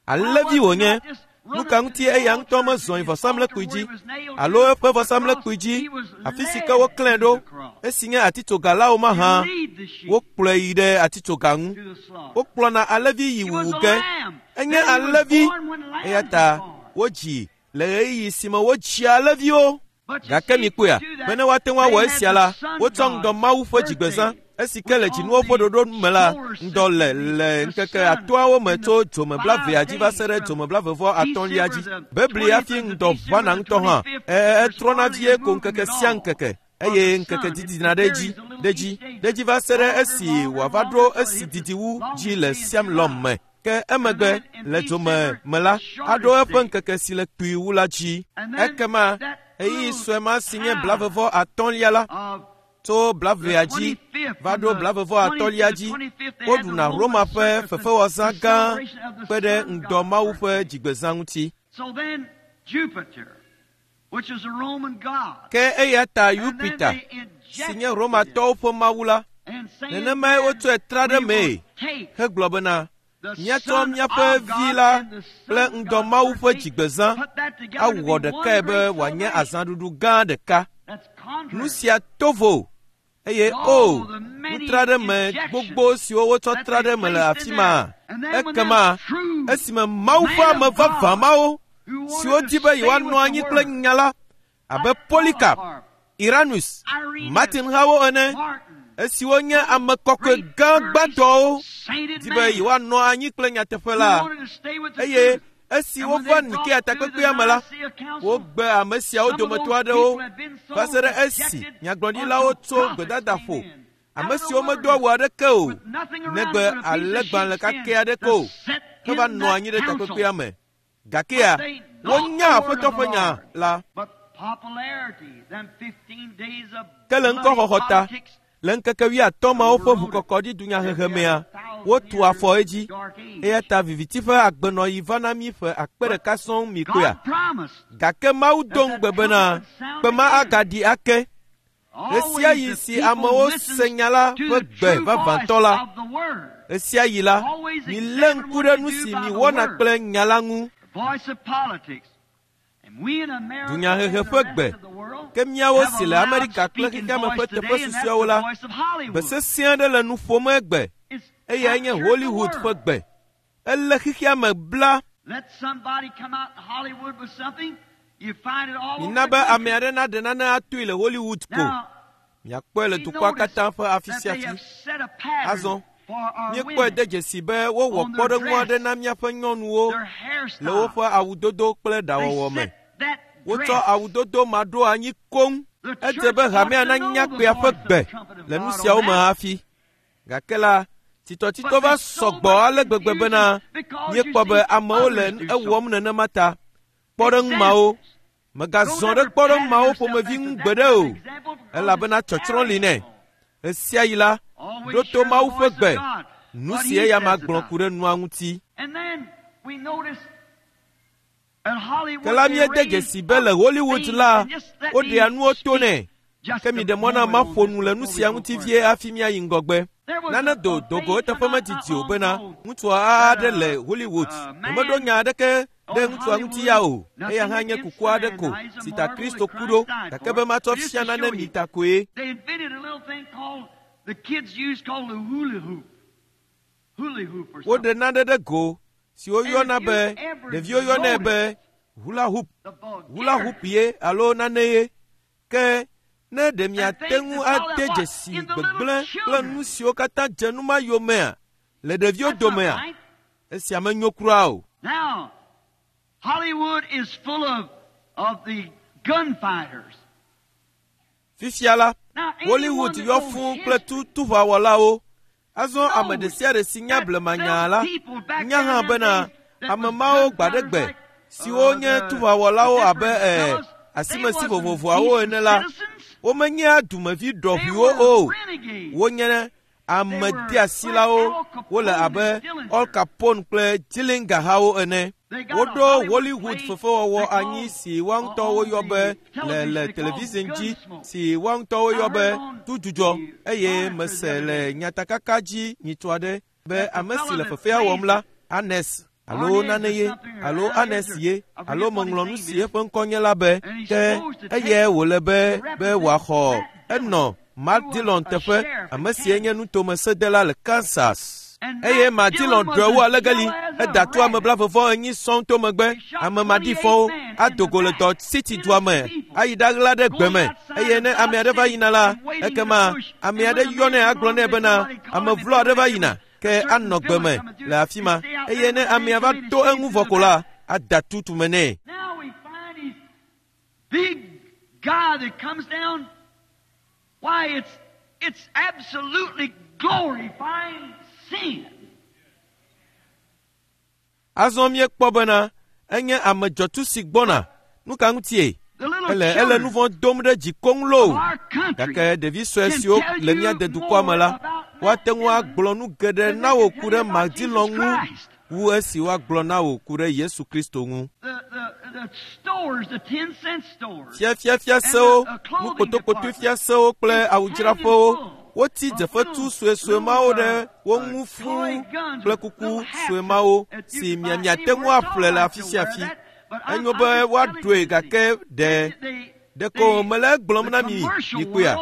Why Alẽvi was he wònye. not just Nu run ka up to ŋuti the eya ŋutɔ altar, mezɔ yi his altar vɔsamlekpui where dzi he was nailed alo to eƒe the cross? vɔsamlekpui dzi He was afi si ke led woklãe to ɖo the cross. esi nye atitsoga la o He mahã? lead the sheep Wokplɔe yi ɖe atitsoga ŋu. to the slaughter. Wokplɔna alẽvi yi He was wuwu a ge. lamb. Enye Then he was alẽvi born when eya lambs ta were born. wodzi le ɣeyiɣi si me wodzia alẽviwo. But you Gake see, to mikpɔea, do bene that, woate ŋu awɔ they had esia the la, sun wotsɔ ŋdɔ god's Mawu ƒe dzigbezã birthday. Esi ke le dzinuwo ƒe ɖoɖo me la, ŋdɔ le le ŋkeke atɔ̃awo me tso dzome blavea dzi va se ɖe dzome blavevɔ atɔ̃lia dzi. Bebli hafi ŋdɔ ʋãna ŋutɔ hã. E etrɔna vie ko ŋkeke sia ŋkeke eye ŋkeke didina ɖe edzi, ɖe edzi, ɖe edzi va se ɖe esi wòava ɖo esi didi wu dzi le Siamlɔm me. Ke emegbe le dzome me la, aɖo eƒe ŋkeke si le kpui wu la dzi. Ekema ɣeyiɣi sue ma si nye blavevɔ atɔ̃lia la, tso blavea dzi va ɖo blavevɔ atɔ̃lia dzi, woɖuna Roma ƒe fefewɔzã gã kpe ɖe ŋdɔ Mawu ƒe dzigbezã ŋuti. Ke eya ta Yupita, si nye Romatɔwo ƒe mawu la, nenemae wotsɔe tra ɖe mee hegblɔ bena, míatsɔ míaƒe vi la kple ŋdɔ Mawu ƒe dzigbezã awɔ ɖekae be wòanye azãɖuɖu gã ɖeka. Nu sia to vo eye o nutra ɖe me gbogbo siwo wotsɔ tra ɖe me le afi ma. Ekema esime Mawu ƒe ame vavã mawo siwo di be yewoanɔ anyi kple nya la abe Polycarp, Irenaeus, Martin hawo ene, esiwo nye ame kɔkɔe gã gbãtɔwo di be yewoanɔ anyi kple nyateƒe la, eye esi wova Nikea takpekpea me la, wogbe ame siawo dometɔ aɖewo va se ɖe esi nyagblɔɖilawo tso gbedadaƒo, ame siwo medo awu aɖeke o, negbe alẽgbalẽ kakɛ aɖeke o, heva nɔ anyi ɖe takpekpea me. Gakea, wonya Aƒetɔ ƒe nya la. Ke le ŋkɔxɔxɔ ta, le ŋkeke wuiatɔ̃ mawo ƒe ʋukɔkɔɖi dunyahehe mea, wotu afɔ edzi. Eya ta viviti ƒe agbenɔɣi va na mí ƒe akpe ɖeka sɔŋ mi kpea. Gake Mawu do ŋugbe bena kpe ma agaɖi ake. Ɣesiaɣi si amewo se nya la ƒe gbe vavãtɔ la, ɣesiaɣi la, milé ŋku ɖe nu si miwɔna kple nya la ŋu. Dunyahehe ƒe gbe, ke míawo si le Amerika kple xexeame ƒe teƒe susɔeawo la, gbe sesẽ aɖe le nu ƒom egbe, eyae nye Hollywood ƒe gbe. Elé xexeame bla. Mina be ame aɖe naɖe nane atoe le Hollywood ko. Miakpɔe le dukɔa katã ƒe afi sia afi. Azɔ, míekpɔe de dzesi be wowɔ kpɔɖeŋu aɖe na míaƒe nyɔnuwo le woƒe awudodo kple ɖawɔwɔ me. Wotsɔ awudodo ma ɖo anyi koŋ. Edze be hamea nanya kpea ƒe gbe le nu siawo me hafi. Gake la, tsitɔtsitɔ va sɔgbɔ ale gbegbe bena míekpɔ be amewo le ewɔm nenema ta. Kpɔɖeŋu mawo, mègazɔ ɖe kpɔɖeŋu mawo ƒomevi ŋu gbeɖe o, elabena tsɔtsrɔ̃ li nɛ. Ɣesiaɣi la, ɖo to Mawu ƒe gbe, nu si eya ma gblɔ ku ɖe nua ŋuti. Ke la míede dzesi be le Hollywood la, woɖea nuwo to nɛ. Ke miɖe mɔ na maƒo nu le nu sia ŋuti vie hafi míayi ŋgɔgbe. Nane do dogo eteƒe medidi o bena ŋutsua aɖe le Hollywood. Nyemeɖo nya aɖeke ɖe ŋutsua ŋuti ya o. Eya hã nye kuku aɖe ko si ta Kristo ku ɖo, gake be matsɔ fia nane mi ta koe. Woɖe nane ɖe go si woyɔna be ɖeviwo yɔnɛ be hula hoop, hula hoop ye alo nane ye. Ke ne ɖe miate ŋu ade dzesi gbegblẽ kple nu siwo katã dze nu ma yomea le ɖeviwo domea, esia menyo kura o. Hollywood is full of, of the gunfighters. Fifia la, Hollywood yɔ fũu kple tutuʋawɔlawo. Azɔ ame ɖe sia ɖe si nya blemanya la, nya hã bena ame mawo gbaɖegbe siwo nye tuʋawɔlawo abe e asimesi vovovoawo ene la, womenyea dumevi ɖɔʋuiwo o. Wonye ame deasilawo, wole abe Al Capone kple Dillinger hawo ene. Woɖo Hollywood fefewɔwɔ anyi si woa ŋutɔ woyɔ be le le television dzi si woa ŋutɔ woyɔ be tudzudzɔ eye mese le nyatakaka dzi nyitsɔ aɖe be ame si le fefea wɔm la, Anes alo nane ye alo Anes ye alo meŋlɔ nu si eƒe ŋkɔ nye la be ke eye wòle be be wòaxɔ enɔ Matt Dillon teƒe, ame si nye nutomesedela le Kansas. Eye Madilɔn ɖɔe wu alegeli eda to ame blavevɔ enyi sɔŋ to megbe ame maɖifɔwo ado go le dɔ City dua me ayi ɖaɣla ɖe gbe me eye ne ame aɖe va yina la ekema ame aɖe yɔnɛ agblɔ nɛ bena ame vlo aɖe va yina ke anɔ gbe me le afi ma eye ne amea va to eŋu vɔ ko la ada tutume nɛ. Now we find these big guy that comes down. Why, it's it's absolutely glorifying sin. Azɔ míekpɔ bena enye ame dzɔtsu si gbɔna. Nu ka ŋutie? The little Ele ele nu children vɔ̃ dom ɖe dzi koŋ loo. of our country Gake ɖevi sue can siwo tell le you mía dedukɔa me la, more about woate ŋu Matt agblɔ nu geɖe than na they wò can ku tell ɖe you about Jesus Madilɔn ŋu Christ. wu esi woagblɔ na wò ku ɖe Yesu Kristo ŋu. The, the, the stores, the ten cent stores. Fiafiafiasewo, nukotokotoefiasewo kple awudzraƒewo woti dzefetu suesue mawo ɖe wo ŋu fũu kple kuku sue mawo si miamiate ŋu aƒle le afi sia afi. Enyo be woaɖoe gake ɖe ɖeko mele egblɔm na mi mikpɔea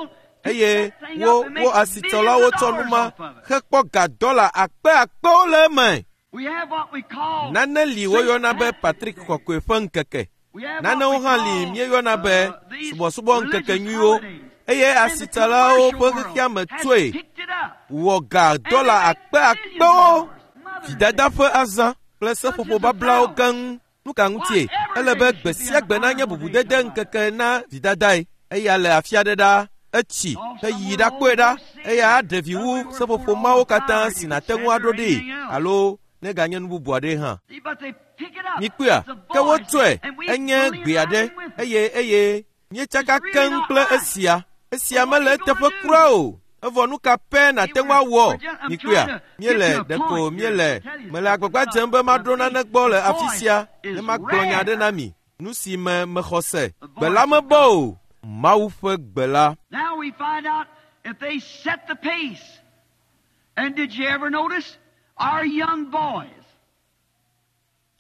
eye wo wo asitsɔlawo tsɔ nu ma hekpɔ ga dɔla akpe akpewo le eme. We have what we call Nane li woyɔna be Patrick Kɔkɔe ƒe ŋkeke. we have what Nanewo we hã li call, míeyɔna be uh, these subɔsubɔ religious ŋkekenyuiwo holidays. eye And the asitsalawo ƒe commercial world xexeame has tsoe picked it up. wɔ ga And dɔla they make akpe billions of akpewo. dollars. Mother's Vidada Day. ƒe azã kple seƒoƒo bablawo keŋ. Nu ka ŋutie? Ele be gbe sia gbe nanye bubudede ŋkeke na vidadae. Eya le afi aɖe ɖa, etsi heyi ɖakpɔe ɖa eya aɖe vi wu seƒoƒo mawo katã si nàte ŋu aɖo ɖee alo neganye nu bubu aɖe hã. See, but they pick it up. Mikpɔea, It's a ke voice, wotsɔe and we enye fully gbe aɖe align with it. eye eye míetsaka keŋ kple esia. Esia mele eteƒe kura o. Evɔ nu ka pɛ nàte ŋu awɔ? Mikpɔea, míele ɖeko míele mele agbagba dzem be maɖo nane gbɔ le afi sia ne magblɔ nya aɖe na mi. Nu si me mexɔ se. Gbe la mebɔ o. Mawu ƒe gbe la. Now we find out if they set the pace. And did you ever notice our young boys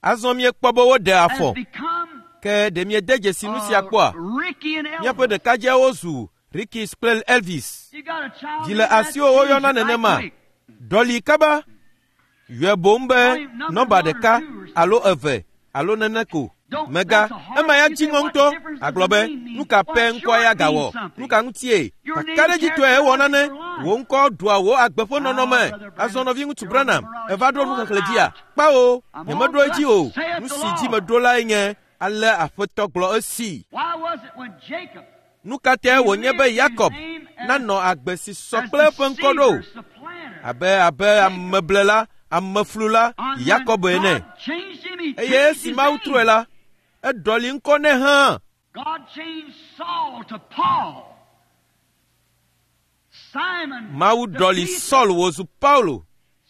Azɔ míekpɔ be woɖe afɔ. have become Ke ɖe miede dzesi nu sia uh, kpɔa? Ricky and Míaƒe Elvis. ɖekadzeawo zu Rickys kple Elvis. You got a child Dzi le in that asiwo woyɔna age right nenema. quick. Ɖɔli kaba. Yɔe boŋ be nɔmba ɖeka alo eve alo nene ko. Mega ema ya dzi ŋɔ ŋutɔ agblɔ be nu ka pɛ ŋkɔa ya gawɔ nu ka ŋutie kakaɖedzitɔe ewɔ nane wò ŋkɔ ɖua wò agbe ƒe nɔnɔme azɔ nɔvi ŋutsu Branham eva ɖo nuxexlẽ dzia kpawo nyemeɖo edzi o nu si dzi meɖo lae nye ale aƒetɔ gblɔ esi Why was it when Jacob nu ka tae wònye be Yakob nanɔ agbe si sɔ as kple eƒe ŋkɔ ɖo deceiver, supplanter, abe abe ameblela ameflula on when Yakob ene God changed him, he eye changed esi his Mawu name. trɔe la eɖɔli ŋkɔ nɛ hã. God changed Saul to Paul. Simon Mawu to ɖɔli Peter. Saul wòzu Paulo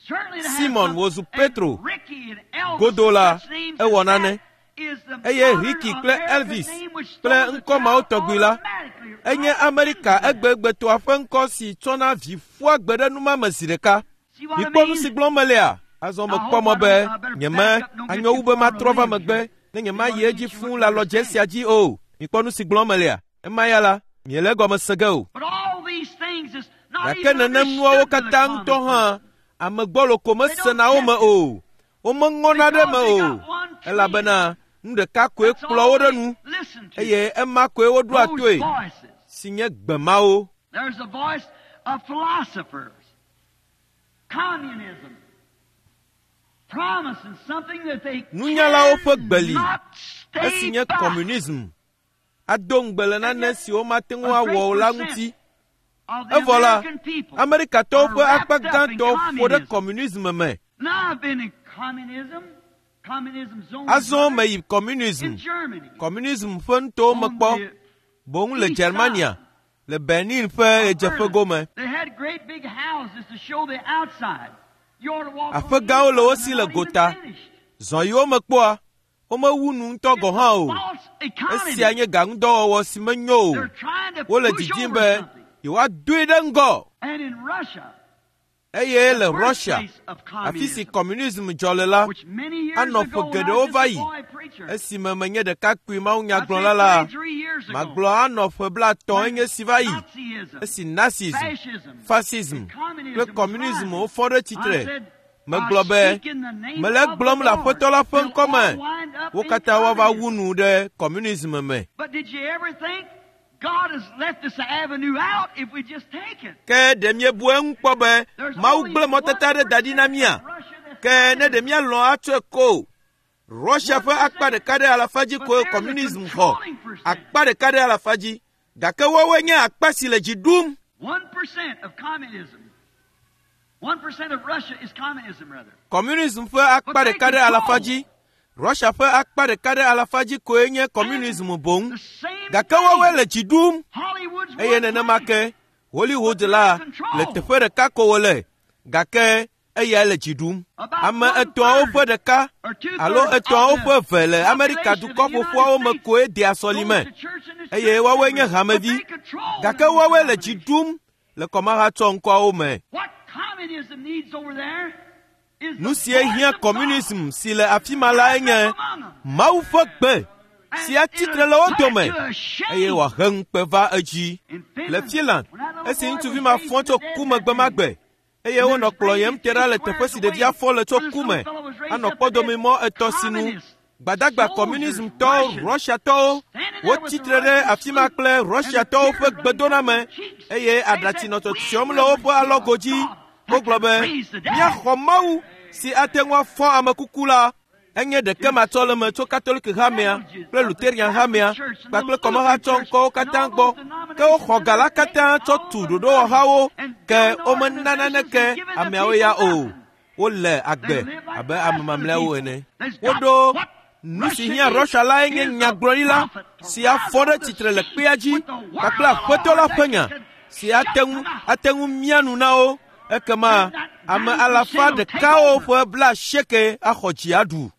Certainly to have Simon some- wòzu and Petro. Ricky and Elvis, Godo la, such names ewɔ as that nane. is the Eye modern Ricky kple American Elvis name which kple throws the ŋkɔ mawo child tɔgbi la, automatically enye right Amerika into that. egbegbetɔa ƒe ŋkɔ si tsɔna vi ƒua gbe ɖe numame zi ɖeka. See what I Mikpɔ nu mean? si gblɔm melea? Azɔ mekpɔ mɔ be nyeme anyo wu be matrɔ va megbe ne nyemayi edzi fũu le alɔdze sia dzi o. Mikpɔ nu si gblɔm melea? Ema ya la, miele egɔme se ge o. But all these things is not Gake even nenem nuawo understood by the katã ŋutɔ common hã, ame gbɔlo ko mesena wo me o. Womeŋɔna ɖe me o. Elabena nu ɖeka koe That's kplɔ all wo ɖe they nu listen to. eye ema koe woɖoa Those toe voices. si nye gbe mawo. There's the voice of philosophers, communism, promising something that they Nunyalawo ƒe gbe li cannot stay esi nye by. communism ado ŋugbe le nane si womate ŋu awɔ o la ŋuti. Of the Evɔ la, American people Amerikatɔwo ƒe are akpa wrapped up in gãtɔ ƒo ɖe communism. communism me. Now I've been in communism, communism zone Azɔ meyi in communism, Germany, communism ƒe nutowo on mekpɔ the boŋ le east Germania, side le Berlin ƒe of ɣedzeƒe Berlin. gome. They had great big houses to show the outside. You ought to walk on Aƒe the gãwo le wo inside si and le they're not even gota. finished. Zɔ yiwo mekpɔa, womewu nu ŋutɔ gɔ̃ hã o. False economy. Esia nye gaŋudɔwɔwɔ si menyo o. They're trying to Wole push didim over be something. yewoadoe ɖe ŋgɔ. And in Russia, Eye le the Russia, birthplace of afi si communism, communism dzɔ le la, which many years anɔ ago ƒe when I geɖewo was va just a yi boy preacher, esime menye ɖekakpui I'd mawunyagblɔla say la, thirty-three years ago, magblɔ anɔ ƒe blaetɔ̃ when enye si va yi Nazism, esi Nazism, fascism, fascism and communism kple was communism rising, wofɔ ɖe I tsitre. said, Megblɔ be mele egblɔm le Aƒetɔ la ƒe ŋkɔme. Wo katã woava wu nu ɖe kɔmunism me. Ke ɖe míebu eŋu kpɔ be Mawu gblẽ mɔtata ɖe da ɖi na mía? Ke ne ɖe míalɔ̃ atsɔe ko. Russia ƒe akpa ɖeka ɖe alafa dzi koe kɔmunism xɔ. Akpa ɖeka ɖe alafa dzi. Gake woawoe nye akpa si le dzi ɖum. Kɔmunism ƒe akpa ɖeka ɖe alafa dzi. Russia ƒe akpa ɖeka ɖe alafa dzi koe nye kɔmunism boŋ. Gake woawoe le dzi ɖum. Eye nenema ke Hollywood la le teƒe ɖeka ko wole. Gake eyae le dzi ɖum. Ame etɔ̃awo ƒe ɖeka alo etɔ̃awo ƒe eve le Amerika dukɔ ƒoƒuawo me koe dea sɔlime eye woawoe nye hamevi. Gake woawoe le dzi ɖum le kɔmahatsɔ ŋkɔawo me. Nu sie hiã kɔmunism si le afi ma lae nye Mawu ƒe gbe si atsitre le wo dome eye wòahe ŋukpe va edzi. Le Finland, esi ŋutsuvi ma fɔ tso ku me gbe ma gbe eye wonɔ kplɔyem te ɖa le teƒe si ɖevia fɔ le tso ku me anɔ kpɔdomimɔ etɔ̃ sinu. Gbadagba kɔmunismtɔwo, Russiatɔwo, wotsitre ɖe afi ma kple Russiatɔwo ƒe gbedoname eye aɖatsi nɔ tsɔtsiɔm le woƒe alɔgo dzi. Wogblɔ be míaxɔ Mawu si ate ŋu afɔ ame kuku la. Enye ɖeke matsɔleme tso Katoliki hamea kple Luterian hamea kpakple kɔmahatsɔ ŋkɔwo katã gbɔ. Ke woxɔ ga la katã tsɔ tu ɖoɖowɔhawo ke womena naneke ameawo ya o. Wole agbe abe ame mamlɛawo ene. Woɖo nu si hiã Russia lae nye nyagblɔɖila si afɔ ɖe tsitre le kpea dzi kpakple Aƒetɔ la ƒe nya si ate ŋu ate ŋu mia nu na wo. Ekema ame alafa ɖekawo ƒe blaasieke axɔ dzi aɖu.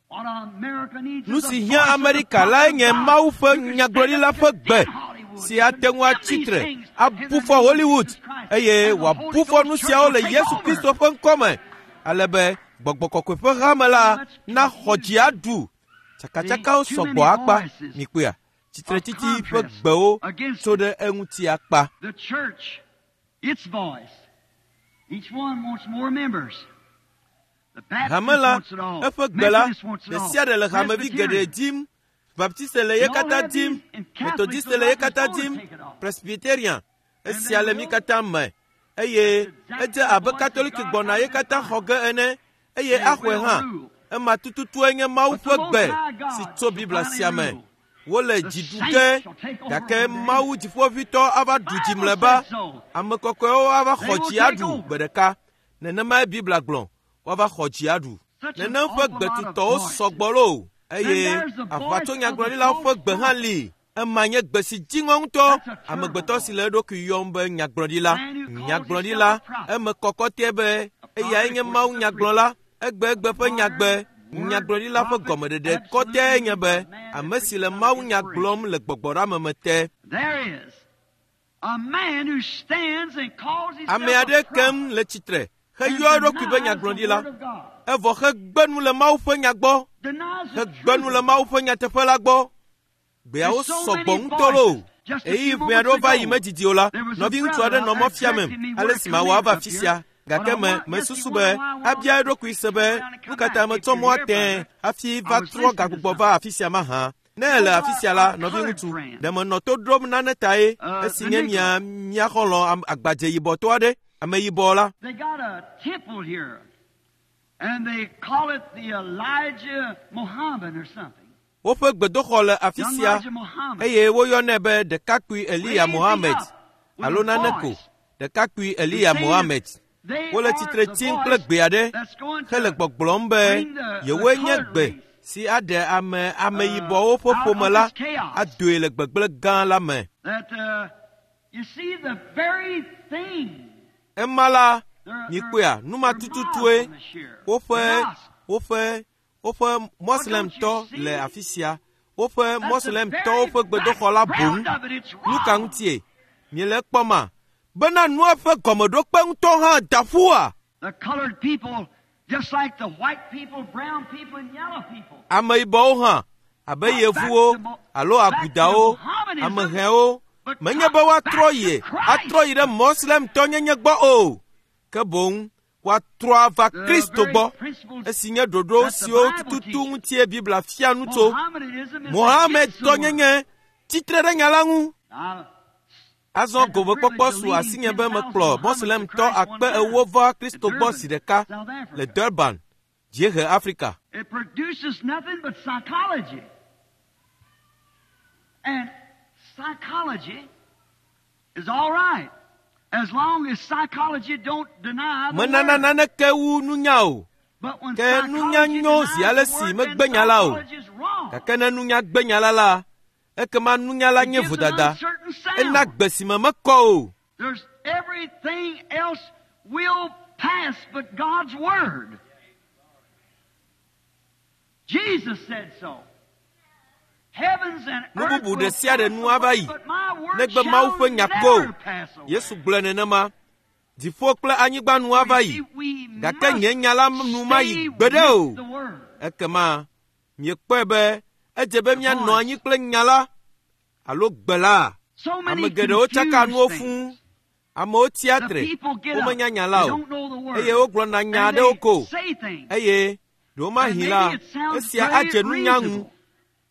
Nu si hiã Amerika lae nye Mawu ƒe nyagblɔɖila ƒe gbe si ate ŋu atsitre abu fɔ Hollywood eye wòabu fɔ nu siawo le Yesu Kristo ƒe ŋkɔme ale be Gbɔgbɔ Kɔkɔe ƒe hame la naxɔ dzi aɖu. Tsakatsakawo sɔgbɔ akpa mikpɔea. Tsitretsitsi ƒe gbewo tso ɖe eŋuti akpa. Hame la, eƒe gbe la, ɖe sia ɖe le hamevi geɖe dim. Baptiste le ye katã dim, Methodiste le ye katã dim, Presbyterian esia le mí katã me eye edze abe Katoliki gbɔna ye katã xɔ ge ene eye axɔe hã. Ema tututue nye Mawu ƒe gbe si tso Biblia sia me. Wole dzi ɖu ge gake Mawu dziƒoʋĩtɔ ava ɖu dzi mlɔeba. Ame kɔkɔewo ava xɔ dzi aɖu gbe ɖeka. Nenemae Biblia gblɔ, woava xɔ dzi aɖu. Nenem ƒe gbetutɔwo sɔgbɔ loo eye aʋatsonyagblɔɖilawo ƒe gbe hã li. Ema nye gbe si dziŋɔ ŋutɔ. Amegbetɔ si le eɖokui yɔm be nyagblɔɖila. Nyagblɔɖila eme kɔkɔtɛ be eyae nye Mawu nyagblɔla. Egbegbe ƒe nyagbe nyagblɔɖila ƒe gɔmeɖeɖe kɔtɛe nye be ame si le Mawu nya gblɔm le gbɔgbɔɖame te. Ame aɖe kem le tsitre heyɔ eɖokui be nyagblɔɖila evɔ hegbe nu le Mawu ƒe nya gbɔ, hegbe nu le Mawu ƒe nyateƒe la gbɔ. Gbeawo sɔgbɔ ŋutɔ loo. Ɣeyiɣi ʋɛ aɖewo va yi medidi o la, nɔviŋutsu aɖe nɔ mɔ fiamem ale si mawɔ ava afi sia. Gake me mesusu be abia eɖokui se be nu ka ta metsɔ mɔa tẽe hafi va trɔ gagbugbɔ va afi sia mahã. Ne ele afi sia la, nɔviŋutsu, ɖe menɔ to ɖom nane tae esi nye mia mia xɔlɔ̃ agbadze yibɔtɔ aɖe, ame yibɔ la. Woƒe gbedoxɔ le afi sia eye woyɔnɛ be ɖekakpui Eliya Mohammed alo nane ko, ɖekakpui Eliya Mohammed. Wole tsitre tsim kple gbe aɖe hele gbɔgblɔm be yewoe nye gbe si aɖe ame ameyibɔwo ƒe ƒome la adoe le gbegblẽ gã la me. Ema la, mikpɔea, nu ma tututue woƒe woƒe woƒe Moslemtɔ le afi sia. Woƒe Moslemtɔwo ƒe gbedoxɔ la boŋ. Nu ka ŋutie? Miele ekpɔma? Bena nua ƒe gɔmeɖokpe ŋutɔ hã da ƒua? Ameyibɔwo hã, abe yevuwo alo agudawo, amehɛwo, menye be woatrɔ yi atrɔ yi ɖe Moslemtɔnyenye gbɔ o. Ke boŋ Woatrɔ ava The Kristo very gbɔ principles esi nye ɖoɖo that the siwo Bible tututu teaches. ŋutie Biblia fia nu tso. Mohammedanism is Mohammed against the word. tɔnyenye tsitre ɖe nya la ŋu. Now, Azɔ gomekpɔkpɔ su asinye be mekplɔ Moslemtɔ akpe ewo va Kristo gbɔ zi ɖeka South Africa. le Durban, dziehe Afrika. It produces nothing but psychology. And psychology is all right as long as psychology don't deny the Menana word. naneke wu nunya o. But when Ke nunya psychology nyo denies zi ale the si word, megbe then nya la o. psychology is wrong. Gake ne nunya gbe nya la la, ekema nunya la It nye gives an vodada. uncertain Ena sound. gbe si me mekɔ o. There's everything else will pass but God's word. Jesus said so. Heavens and Nu earth bubu will ɖe sia ɖe pass nu ava away, yi, but my word negbe Mawu shall ƒe nya ko. never pass away. Yesu gblɔe nenema. Dziƒo kple anyigba nu ava You yi, see, we gake must nye nya la nu mayi stay gbeɖe o. with the word. Ekema miekpɔe be edze be míanɔ anyi kple nya la alo gbe la. So many Ame geɖewo tsaka confused nuwo things. fũu. Amewo tsia The tre, people get up. womenya nya la They o don't know the word. eye wogblɔna nya And aɖewo they ko say things. eye ɖewomahi And la maybe it sounds esia very adze nunya ŋu. reasonable.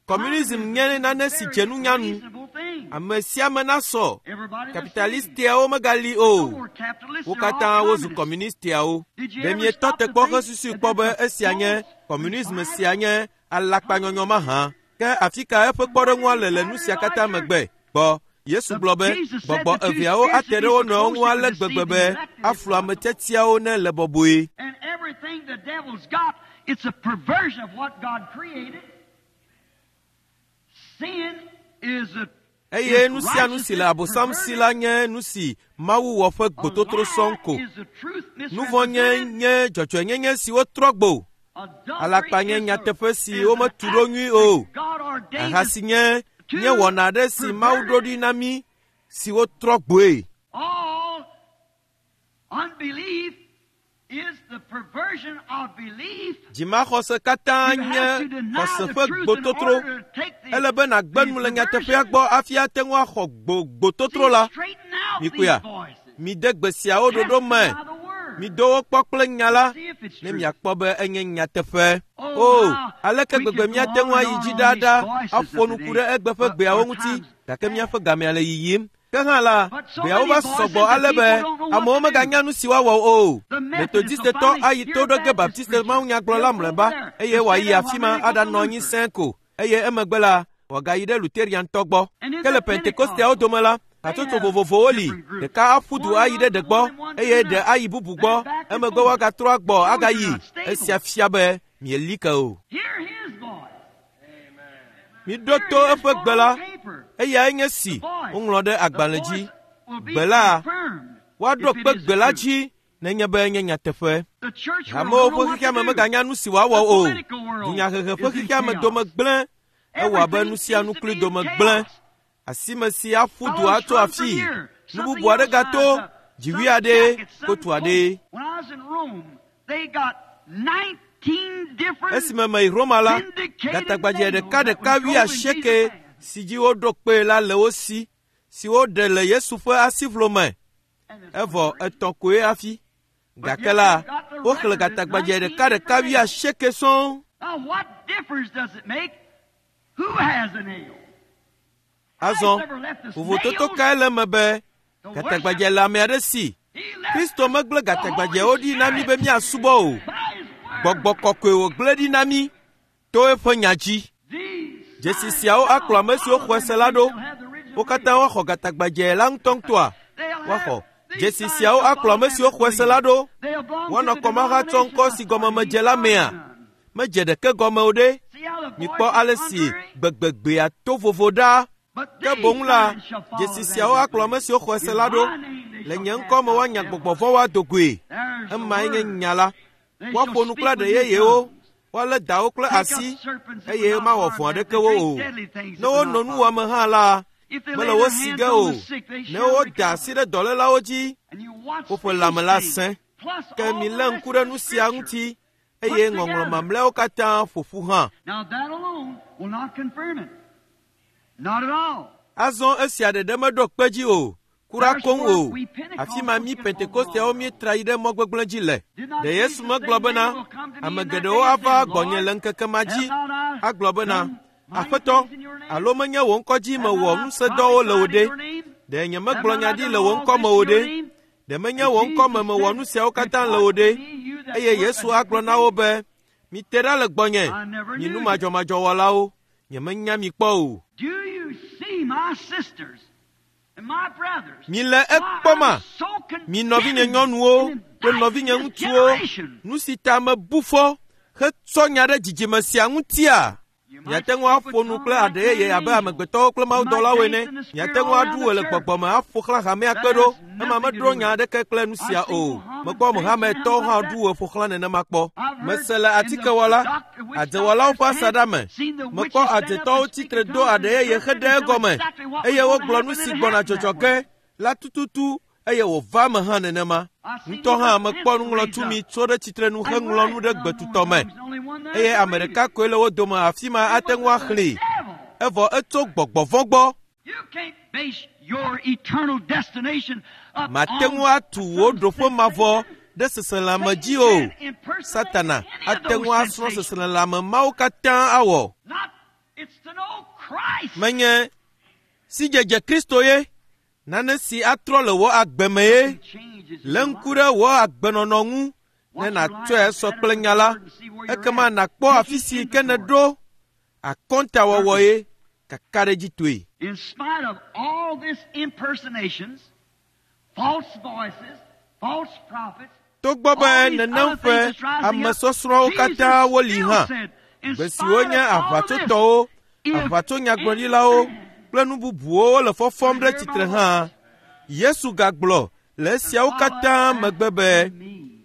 Communism nye nane si dze nunya ŋu. Reasonable thing. Ame sia ame nasɔ. Everybody the same. Kapitalistiawo megali No o. more capitalists, Wo they're all katã wozu communists. kɔmunistiawo. Did you Ɖe ever mietɔ stop te to kpɔ think hesusui that kpɔ be that's a esia nye false kɔmunism revival? sia nye alakpanyɔnyɔ mahã? Ke afi ka eƒe kpɔɖeŋua le le nu sia katã megbe? Gbɔ Yesu gblɔ be Jesus said gbɔgbɔ the two eveawo spirits ate would ɖe be wo so nɔewo ŋu close ale they could gbegbe deceive be the elect if aflu ame possible. tiatiawo ne le bɔbɔe. And everything the devil's got, it's a perversion of what God created. Sin is a Eye is nu sia nu si le righteousness Abosam si la nye nu si Mawu wɔ ƒe perverted. gbototro sɔŋ ko. A lie is the truth Nu vɔ̃ nye misrepresented. nye dzɔdzɔenyenye si wotrɔ gbo. Adultery Alakpa nye is the- nyateƒe si is an wometu ɖo act nyui o. that God ordained Aha si nye nye wɔna aɖe si Mawu ɖo ɖi na mí si wotrɔ gboe. All unbelief is the perversion of belief. Dzimaxɔse katã You nye have to deny xɔse the ƒe truth in gbototro. order to take the, Ele be nàgbe the nu le nyateƒea perversion. gbɔ hafi ate ŋu axɔ gbo gbototro See, la. straighten out Mikuya, these voices. mide gbe siawo Test ɖoɖo them me. by the word. Mido wo kpɔ kple nya la See if it's ne true. miakpɔ be enye nyateƒe. Oh, O, how aleke we gbegbe could go míate on ŋu and ayi on dzi on ɖaɖa these voices aƒo of nuku today, ɖe egbe ƒe but gbeawo our ŋuti time's gake míaƒe past. gamea le yiyim. Ke hã la, But so gbeawo many va voices sɔgbɔ that ale be people don't know what amewo to do. meganya nu si woawɔ o. The Methodists will Metodistetɔ finally ayi to hear ɖo ge Baptist Baptiste preachers. mawunyagblɔla They'll go mlɔeba over there eye and stay wòayi there afi while ma they go to aɖanɔ anyi Luther. sẽe ko eye emegbe la wòagayi ɖe Luteriantɔ gbɔ. And in Ke le the Pentekosteawo Pentecostals, dome la, they hatsotso have vovovowo li. different groups. Ɖeka aƒu du One ayi ɖe runs ɖe gbɔ one and one to eye ɖe another. ayi bubu Then gbɔ back and emegbe forth. woagatrɔ agbɔ Those are agayi. not stable. Esia fia be mieli ke o. Hear his voice. Miɖo Hear to his eƒe voice gbe la on paper. eyae nye The si voice. woŋlɔ ɖe The agbalẽ dzi. voice will be Gbe la confirmed woaɖo if it kpe is gbe the la truth. dzi nenye be enye nyateƒe. The church world Hamewo don't know ƒe what to xexeame do. meganya nu si woawɔ The o. political world Dunyahehe ƒe is in xexeame chaos. dome gblẽ. Ewɔ abe Everything nu sia seems nu to klui be in dome gblẽ. chaos. Asime si aƒu du Fellows atso run from afii. here. Nu Something bubu aɖe else gato. rises up. Dziwui Some aɖe, jacket, some kotu coat. aɖe. When I was in Rome, they got nineteen different Esime meyi Roma la, vindicated gatagbadze nails ɖeka that ɖeka was wui drove in asieke Jesus' hand. si dzi woɖo kpee la le wo si, si woɖe le Yesu ƒe asivlo me. And there's Evɔ three. etɔ̃ koe hafi. But Gake yet la, they've got the woxlẽ record at gatagbadze nineteen ɖeka ɖeka different wui nails. asieke sɔŋ. Now what difference does it make? Who has a nail? Christ Azɔ, never left us vovototo nails kae le eme be to gatagbadze worship. le ame aɖe si? He left Kristo us megblẽ the gatagbadzewo Holy ɖi na mí be Spirit míasubɔ o. by His Word. Gbɔgbɔ kɔkɔe wògblẽ ɖi na mí to eƒe nya dzi. These Dzesi signs siawo akplɔ shall ame siwo follow xɔe them se la that ɖo. shall have the original Wo katã name. woaxɔ gatagbadze la ŋutɔŋutɔa? They'll Woaxɔ. have these Dzesi signs siawo shall akplɔ follow ame them siwo that xɔe se la believe. ɖo. They'll belong to Woanɔ the kɔmahatsɔ denomination ŋkɔ I si gɔme started. medze He la mea? started none. Medze ɖeke gɔme o ɖe. See how the Mikpɔ voice ale is si contrary? gbegbegbea to vovo ɖa. But Ke these boŋ la, signs shall follow dzesi them siawo that akplɔ ame believe. siwo xɔe se In la ɖo. my name they Le shall nye cast ŋkɔ me out woanya devils. gbɔgbɔ vɔ̃wo ado goe. There's the Emae nye word. nya la. They shall Woaƒo nu speak kple with aɖe new yeyewo. tongues. Woalé dawo kple Take up asi serpents that eye would not mawɔ harm vɔ̃ them. aɖeke They wo drink o. deadly things Ne that would wonɔ not nu harm wɔme them. hã la, If they mele lay wo their si hands ge on o. the sick, they Ne shall woda recover. asi ɖe dɔlélawo dzi, And you watch woƒe these lãme la things, sẽ. plus Ke all the milé rest ŋku of ɖe the nu sia scripture ŋuti put eye ŋɔŋlɔ together. mamlɛawo katã ƒo ƒu hã. Now that alone will not confirm it. Not at all. Azɔ esia ɖeɖe meɖo kpe dzi o. Kura koŋ o. Afi ma mí Pentekosteawo míetra yi ɖe mɔ gbegblẽ dzi le. Ɖe Yesu megblɔ bena, ame geɖewo ava gbɔnye le ŋkeke ma dzi agblɔ bena, Aƒetɔ, alo menye wò ŋkɔ dzi mewɔ ŋusẽdɔwo le wò ɖe? Ɖe nyemegblɔ nya ɖi le wò ŋkɔ me o ɖe? Ɖe menye wò ŋkɔ me mewɔ nu siawo katã le wò ɖe? Eye Yesu agblɔ na wo be, mite ɖa le gbɔnye, mi nu madzɔmadzɔwɔlawo, nyemenya mi kpɔ o. Mile ekpɔma, mi nɔvinye nyɔnuwo kple nɔvinye ŋutsuwo, nu si ta mebu fɔ hetsɔ nya ɖe dzidzime sia ŋutia? Miate ŋu aƒo nu kple aɖe yeye abe amegbetɔwo kple mawudɔlawo ene. Miate ŋu aɖu wɔ le gbɔgbɔ me aƒo xlã hamea kpe ɖo. Ema meɖo nya aɖeke kple nu sia o. Mekpɔ Mohamedtɔwo hã ɖu wɔ ƒo xlã nenema kpɔ. Mese le atikewɔla, adzewɔlawo ƒe asaɖa me. Mekpɔ adzetɔwo tsitre do aɖe yeye heɖe egɔme eye wogblɔ nu si gbɔna dzɔdzɔ ge la tututu eye wòva eme hã nenema. Ŋutɔ hã mekpɔ nuŋlɔtumi tso ɖe tsitrenu heŋlɔ nu ɖe gbetutɔ me eye ame ɖeka koe le wo dome afi ma ate ŋu axlẽe. Evɔ etso gbɔgbɔ vɔ̃ gbɔ. Mate ŋu atu wò ɖoƒe mavɔ ɖe seselãme dzi o. Satana ate ŋu asrɔ̃ seselãme mawo katã awɔ. Menye sidzedze Kristo ye. Nane si atrɔ le wò agbe me ye. Lé ŋku ɖe wò agbenɔnɔ ŋu ne nàtsɔe sɔ kple nya la, ekema nàkpɔ afi si ke nèɖo akɔntawɔwɔ ye kakaɖedzitɔe. In spite of all these impersonations, false voices, false prophets, Togbɔ be nenem ƒe amesɔsrɔ̃wo katã woli hã, gbe siwo nye aʋatsotɔwo, aʋatsonyagblɔɖilawo kple nu bubuwo le fɔfɔm ɖe tsitre hã, Yesu gagblɔ le esiawo katã megbe be,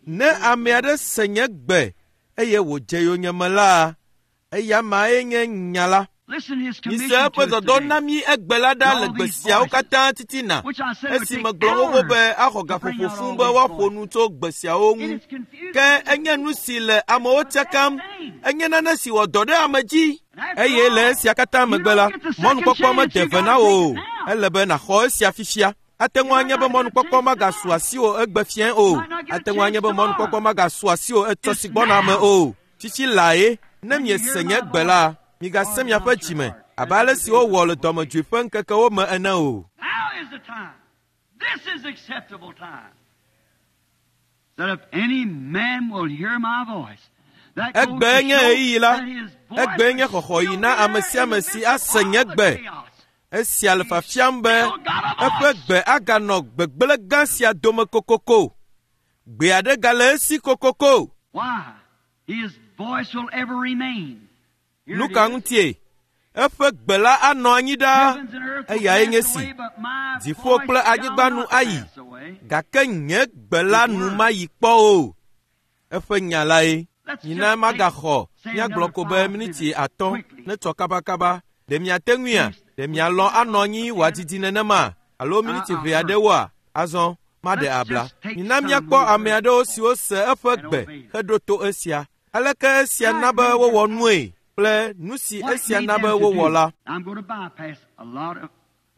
ne ame aɖe se nye gbe eye wòdze yonyeme la, eya mae nye nya la. Listen his Mise commission to eƒe us dɔdɔ today, na mí egbe la ɖa le gbe siawo katã titina. which I said would Esi take megblɔ xoxo hours be axɔ to bring gaƒoƒo out fũu all be these woaƒo voices. nu tso gbe siawo It ŋu. is confusing. Ke enye nu si le amewo tsakam, enye nane si wɔ dɔ ɖe ame dzi. Eye le esia katã megbe la, mɔnukpɔkpɔ mede ve na wò o. Ele be nàxɔ esia fifia. Ate ŋu anye be mɔnukpɔkpɔ magasu asiwò egbe fiẽ o. Ate ŋu anye be mɔnukpɔkpɔ magasu asiwò etsɔ si gbɔna me o. Tsitsi lae. Ne miese nye gbe la, migase miaƒe dzime abe ale si wowɔ le dɔmedzoe ƒe ŋkekewo me ene o. Now is the time. This is acceptable time. That if any man will hear my voice, that goes to Egbee nye show ɣeyiɣi la. that his voice Egbee nye is xɔxɔɣi still na ame there sia in ame the si midst of ase nye all the gbe. chaos. Esia le fiafiam be eƒe gbe aganɔ gbegblẽ gã sia dome kokoko. Gbe aɖe gale esi kokoko. Why? His voice will ever remain. Here Nu it ka is. ŋutie? Eƒe gbe la anɔ anyi ɖaa. Heavens and earth will Eyae nye pass si. away, but my Dziƒo voice kple shall anyigba nu not ayi. pass away. Gake nye gbe la nu mayi kpɔ o. Eƒe nya lae. Let's Mina just take, magaxɔ say míagblɔ another ko be five miniti minutes atɔ̃ quickly. netsɔ kabakaba. Ɖe miate ŋuia? Ɖe mialɔ̃ anɔ anyi wòadidi nenema alo miniti Uh-uh. ʋɛ aɖewoa? Azɔ maɖe Let's abla. just take Mina some míakpɔ who ame heard aɖewo siwo se eƒe and gbe obeyed. heɖo to esia. Aleke esia How na it be made wowɔ their nue kple nu si What it esia made na be them to wowɔ do. la. I'm going to bypass a lot of,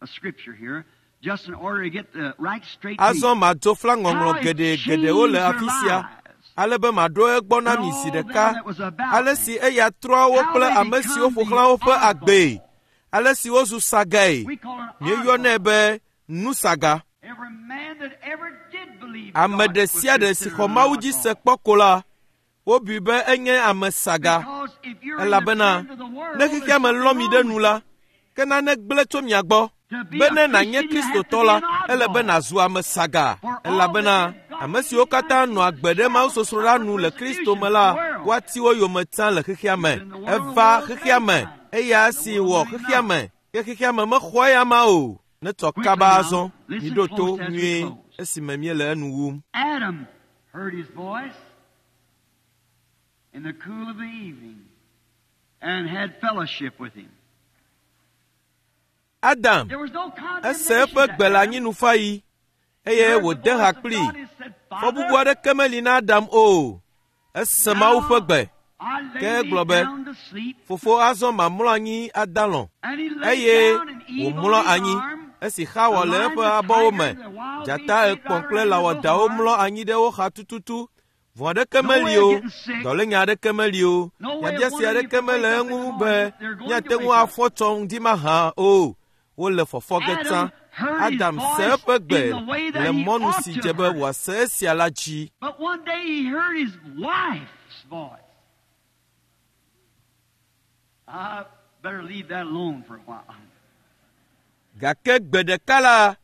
of scripture here just in order to get the right straight Azɔ meaning. madzo fla How ŋɔŋlɔ it geɖe geɖewo changed le their afi sia lives ale be maɖo egbɔ na and mi zi all them ɖeka. that was about Ale them. si eya trɔa wo How kple they ame siwo become ƒo the xlã woƒe agbee. oddball. Ale si wozu sagae. We call it Míeyɔnɛ oddball. be nusaga. Every man that ever did believe Ame God ɖe was sia ɖe si considered xɔ an Mawu dzi se oddball. kpɔ ko la, wobui be enye ame saga. Because if you're in the Elabena trend of the world, ne there's xexea me something lɔ mi wrong ɖe with nu you. la, ke nane gblẽ tso mia gbɔ. To be Be a ne nànye Christian, you have to Kristotɔ be la, an ele be oddball. nàzu ame saga. For all that Elabena did God ame siwo believe katã like nɔ agbe Jesus ɖe shall mawusosroɖa suffer nu le Kristo persecution me in la, the world. woati wo yome tsã le xexea me. He's in the world, the Eva world xexea made me, him. eya The si world wɔ knew him xexea not. me, ke xexea me mexɔ eya ma o. Netsɔ Quickly kaba now, azɔ, listen miɖo to close as we nyuie close. esime míele enu wum. Adam heard his voice in the cool of the evening and had fellowship with him. Adam There was no ese condemnation eƒe to gbe le Adam. anyinufaɣi He eye heard the wòde ha voice of kplii. God and said, Fɔbubu Father, aɖeke meli na Adam o. Ese Mawu ƒe now gbe. I Ke lay egblɔ me be, down to sleep. Fofo azɔ mamlɔ anyi adalɔ̃. And he lay Eye down and Eve on wòmlɔ his anyi arm. Esi Xawa le eƒe abɔwo me, dzata ekpɔ̃ kple lãwɔdawo mlɔ anyi ɖe wo xa tututu. Vɔ̃ aɖeke meli o, dɔlénya aɖeke meli o, nyabiase aɖeke mele eŋu be míate ŋu afɔ tsɔ ŋdi mahã o. Wole fɔfɔ ge tsã. Adam se eƒe gbe le mɔnu si dze be wòase esia la dzi. But one day he heard his wife's voice. I better leave that alone for a while. Gake gbe ɖeka la,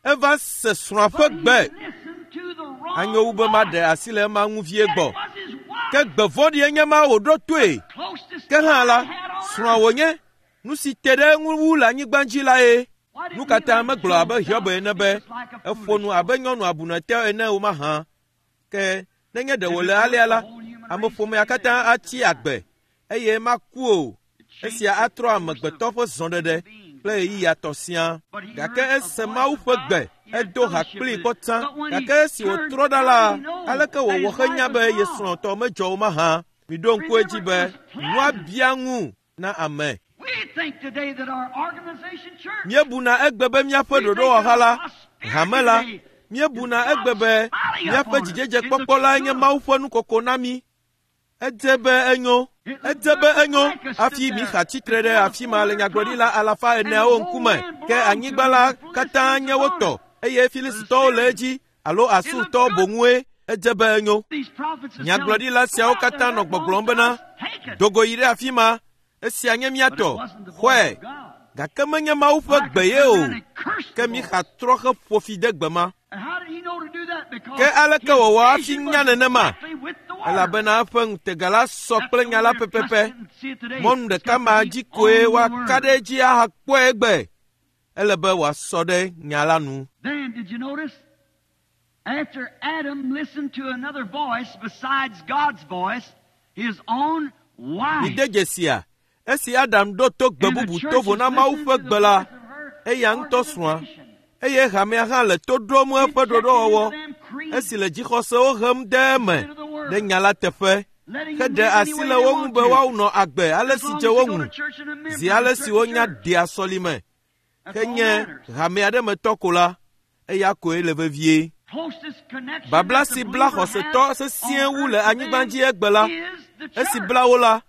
eva se srɔ̃a ƒe But he gbe. listened to the wrong Anyo wu be maɖe voice. asi le ema ŋu vie That gbɔ. was his wife. Ke gbe vɔ̃ɖie nye ma wòɖo toe. Closest Ke hã la, he had on srɔ̃a earth. wònye. Nu si te ɖe eŋu wu le anyigba dzi la ye. Why didn't Nu he ka ta let megblɔ Job abe Hiob down ene be just like a eƒo foolish nu abe nyɔnu abunɛtɔ ene o mahã? Ke nenye ɖe wòle alea la, ameƒomea katã atsi agbe eye maku o. Esia atrɔ amegbetɔ ƒe zɔɖeɖe kple ɣeyiɣia tɔ siaa. Gake ese Mawu ƒe gbe, edo ha kplii kpɔ tsã. Gake esi wòtrɔ ɖa la, aleke wòwɔ henya be ye srɔ̃tɔ medzɔ o mahã? Miɖo ŋku edzi be nua bia ŋu na ame. We think today that our organization church Míebuna egbe be míaƒe ɖoɖowɔha la, hame la, míebuna egbe be míaƒe dzidzedzekpɔkpɔ lae nye Mawu ƒe nukoko na mí. Edze be enyo, edze be enyo hafi Mixa tsitre ɖe afi ma le nyagblɔɖila alafa eneawo ŋkume. Ke anyigba la katã nye wo tɔ eye Filistitɔwo le edzi alo Asurtɔwo boŋue. Edze be enyo. These prophets are Nyagblɔɖila telling, siawo "Go out there, katã nɔ that gbɔgblɔm belongs bena, to us. Take it." dogo yi ɖe afi ma, esia nye mía But it tɔ, wasn't the voice xɔe. of God. Gake menye Mawu ƒe Micah gbe ye turned o. around and cursed Ke the Mixa Lord. trɔ heƒo fi de gbe ma. And how did he know to do that? Because Ke aleke his wòwɔ hafi vision nya was nenema? exactly with the word. Elabena eƒe ŋutega la sɔ That's kple the nya la only way to pɛpɛpɛ. trust it and see it today. Mɔnu It's ɖeka got to ma be dzi koe on the woaka word. ɖe edzi ahakpɔe egbe. Ele be wòasɔ ɖe nya la nu. Then, did you notice? After Adam listened to another voice besides God's voice, his own wife. Mide dzesia, esi Adam ɖo to gbe And the bubu church to vo is na Mawu listening ƒe to the gbe la, voice of her eya ŋutɔ srɔ̃a, organization. eye hamea hã le to ɖom eƒe Rejecting ɖoɖowɔwɔ them creeds, esi le dzixɔsewo hem de eme instead of the word. ɖe nya la teƒe. Letting them Heɖe live any asi way le they wo ŋu want be to. woanɔ agbe ale As si long dze as wo they go ŋu, to church and a member zi of ale a si certain wonya church. dea sɔlime. That's Ke all nye matters. hame aɖe me tɔ ko la, eya koe le vevie. Closest connection Babla that the si bla believer xɔsetɔ has sesĩe on wu le earth anyigba today dzi egbe la, is the esi church. bla wo la,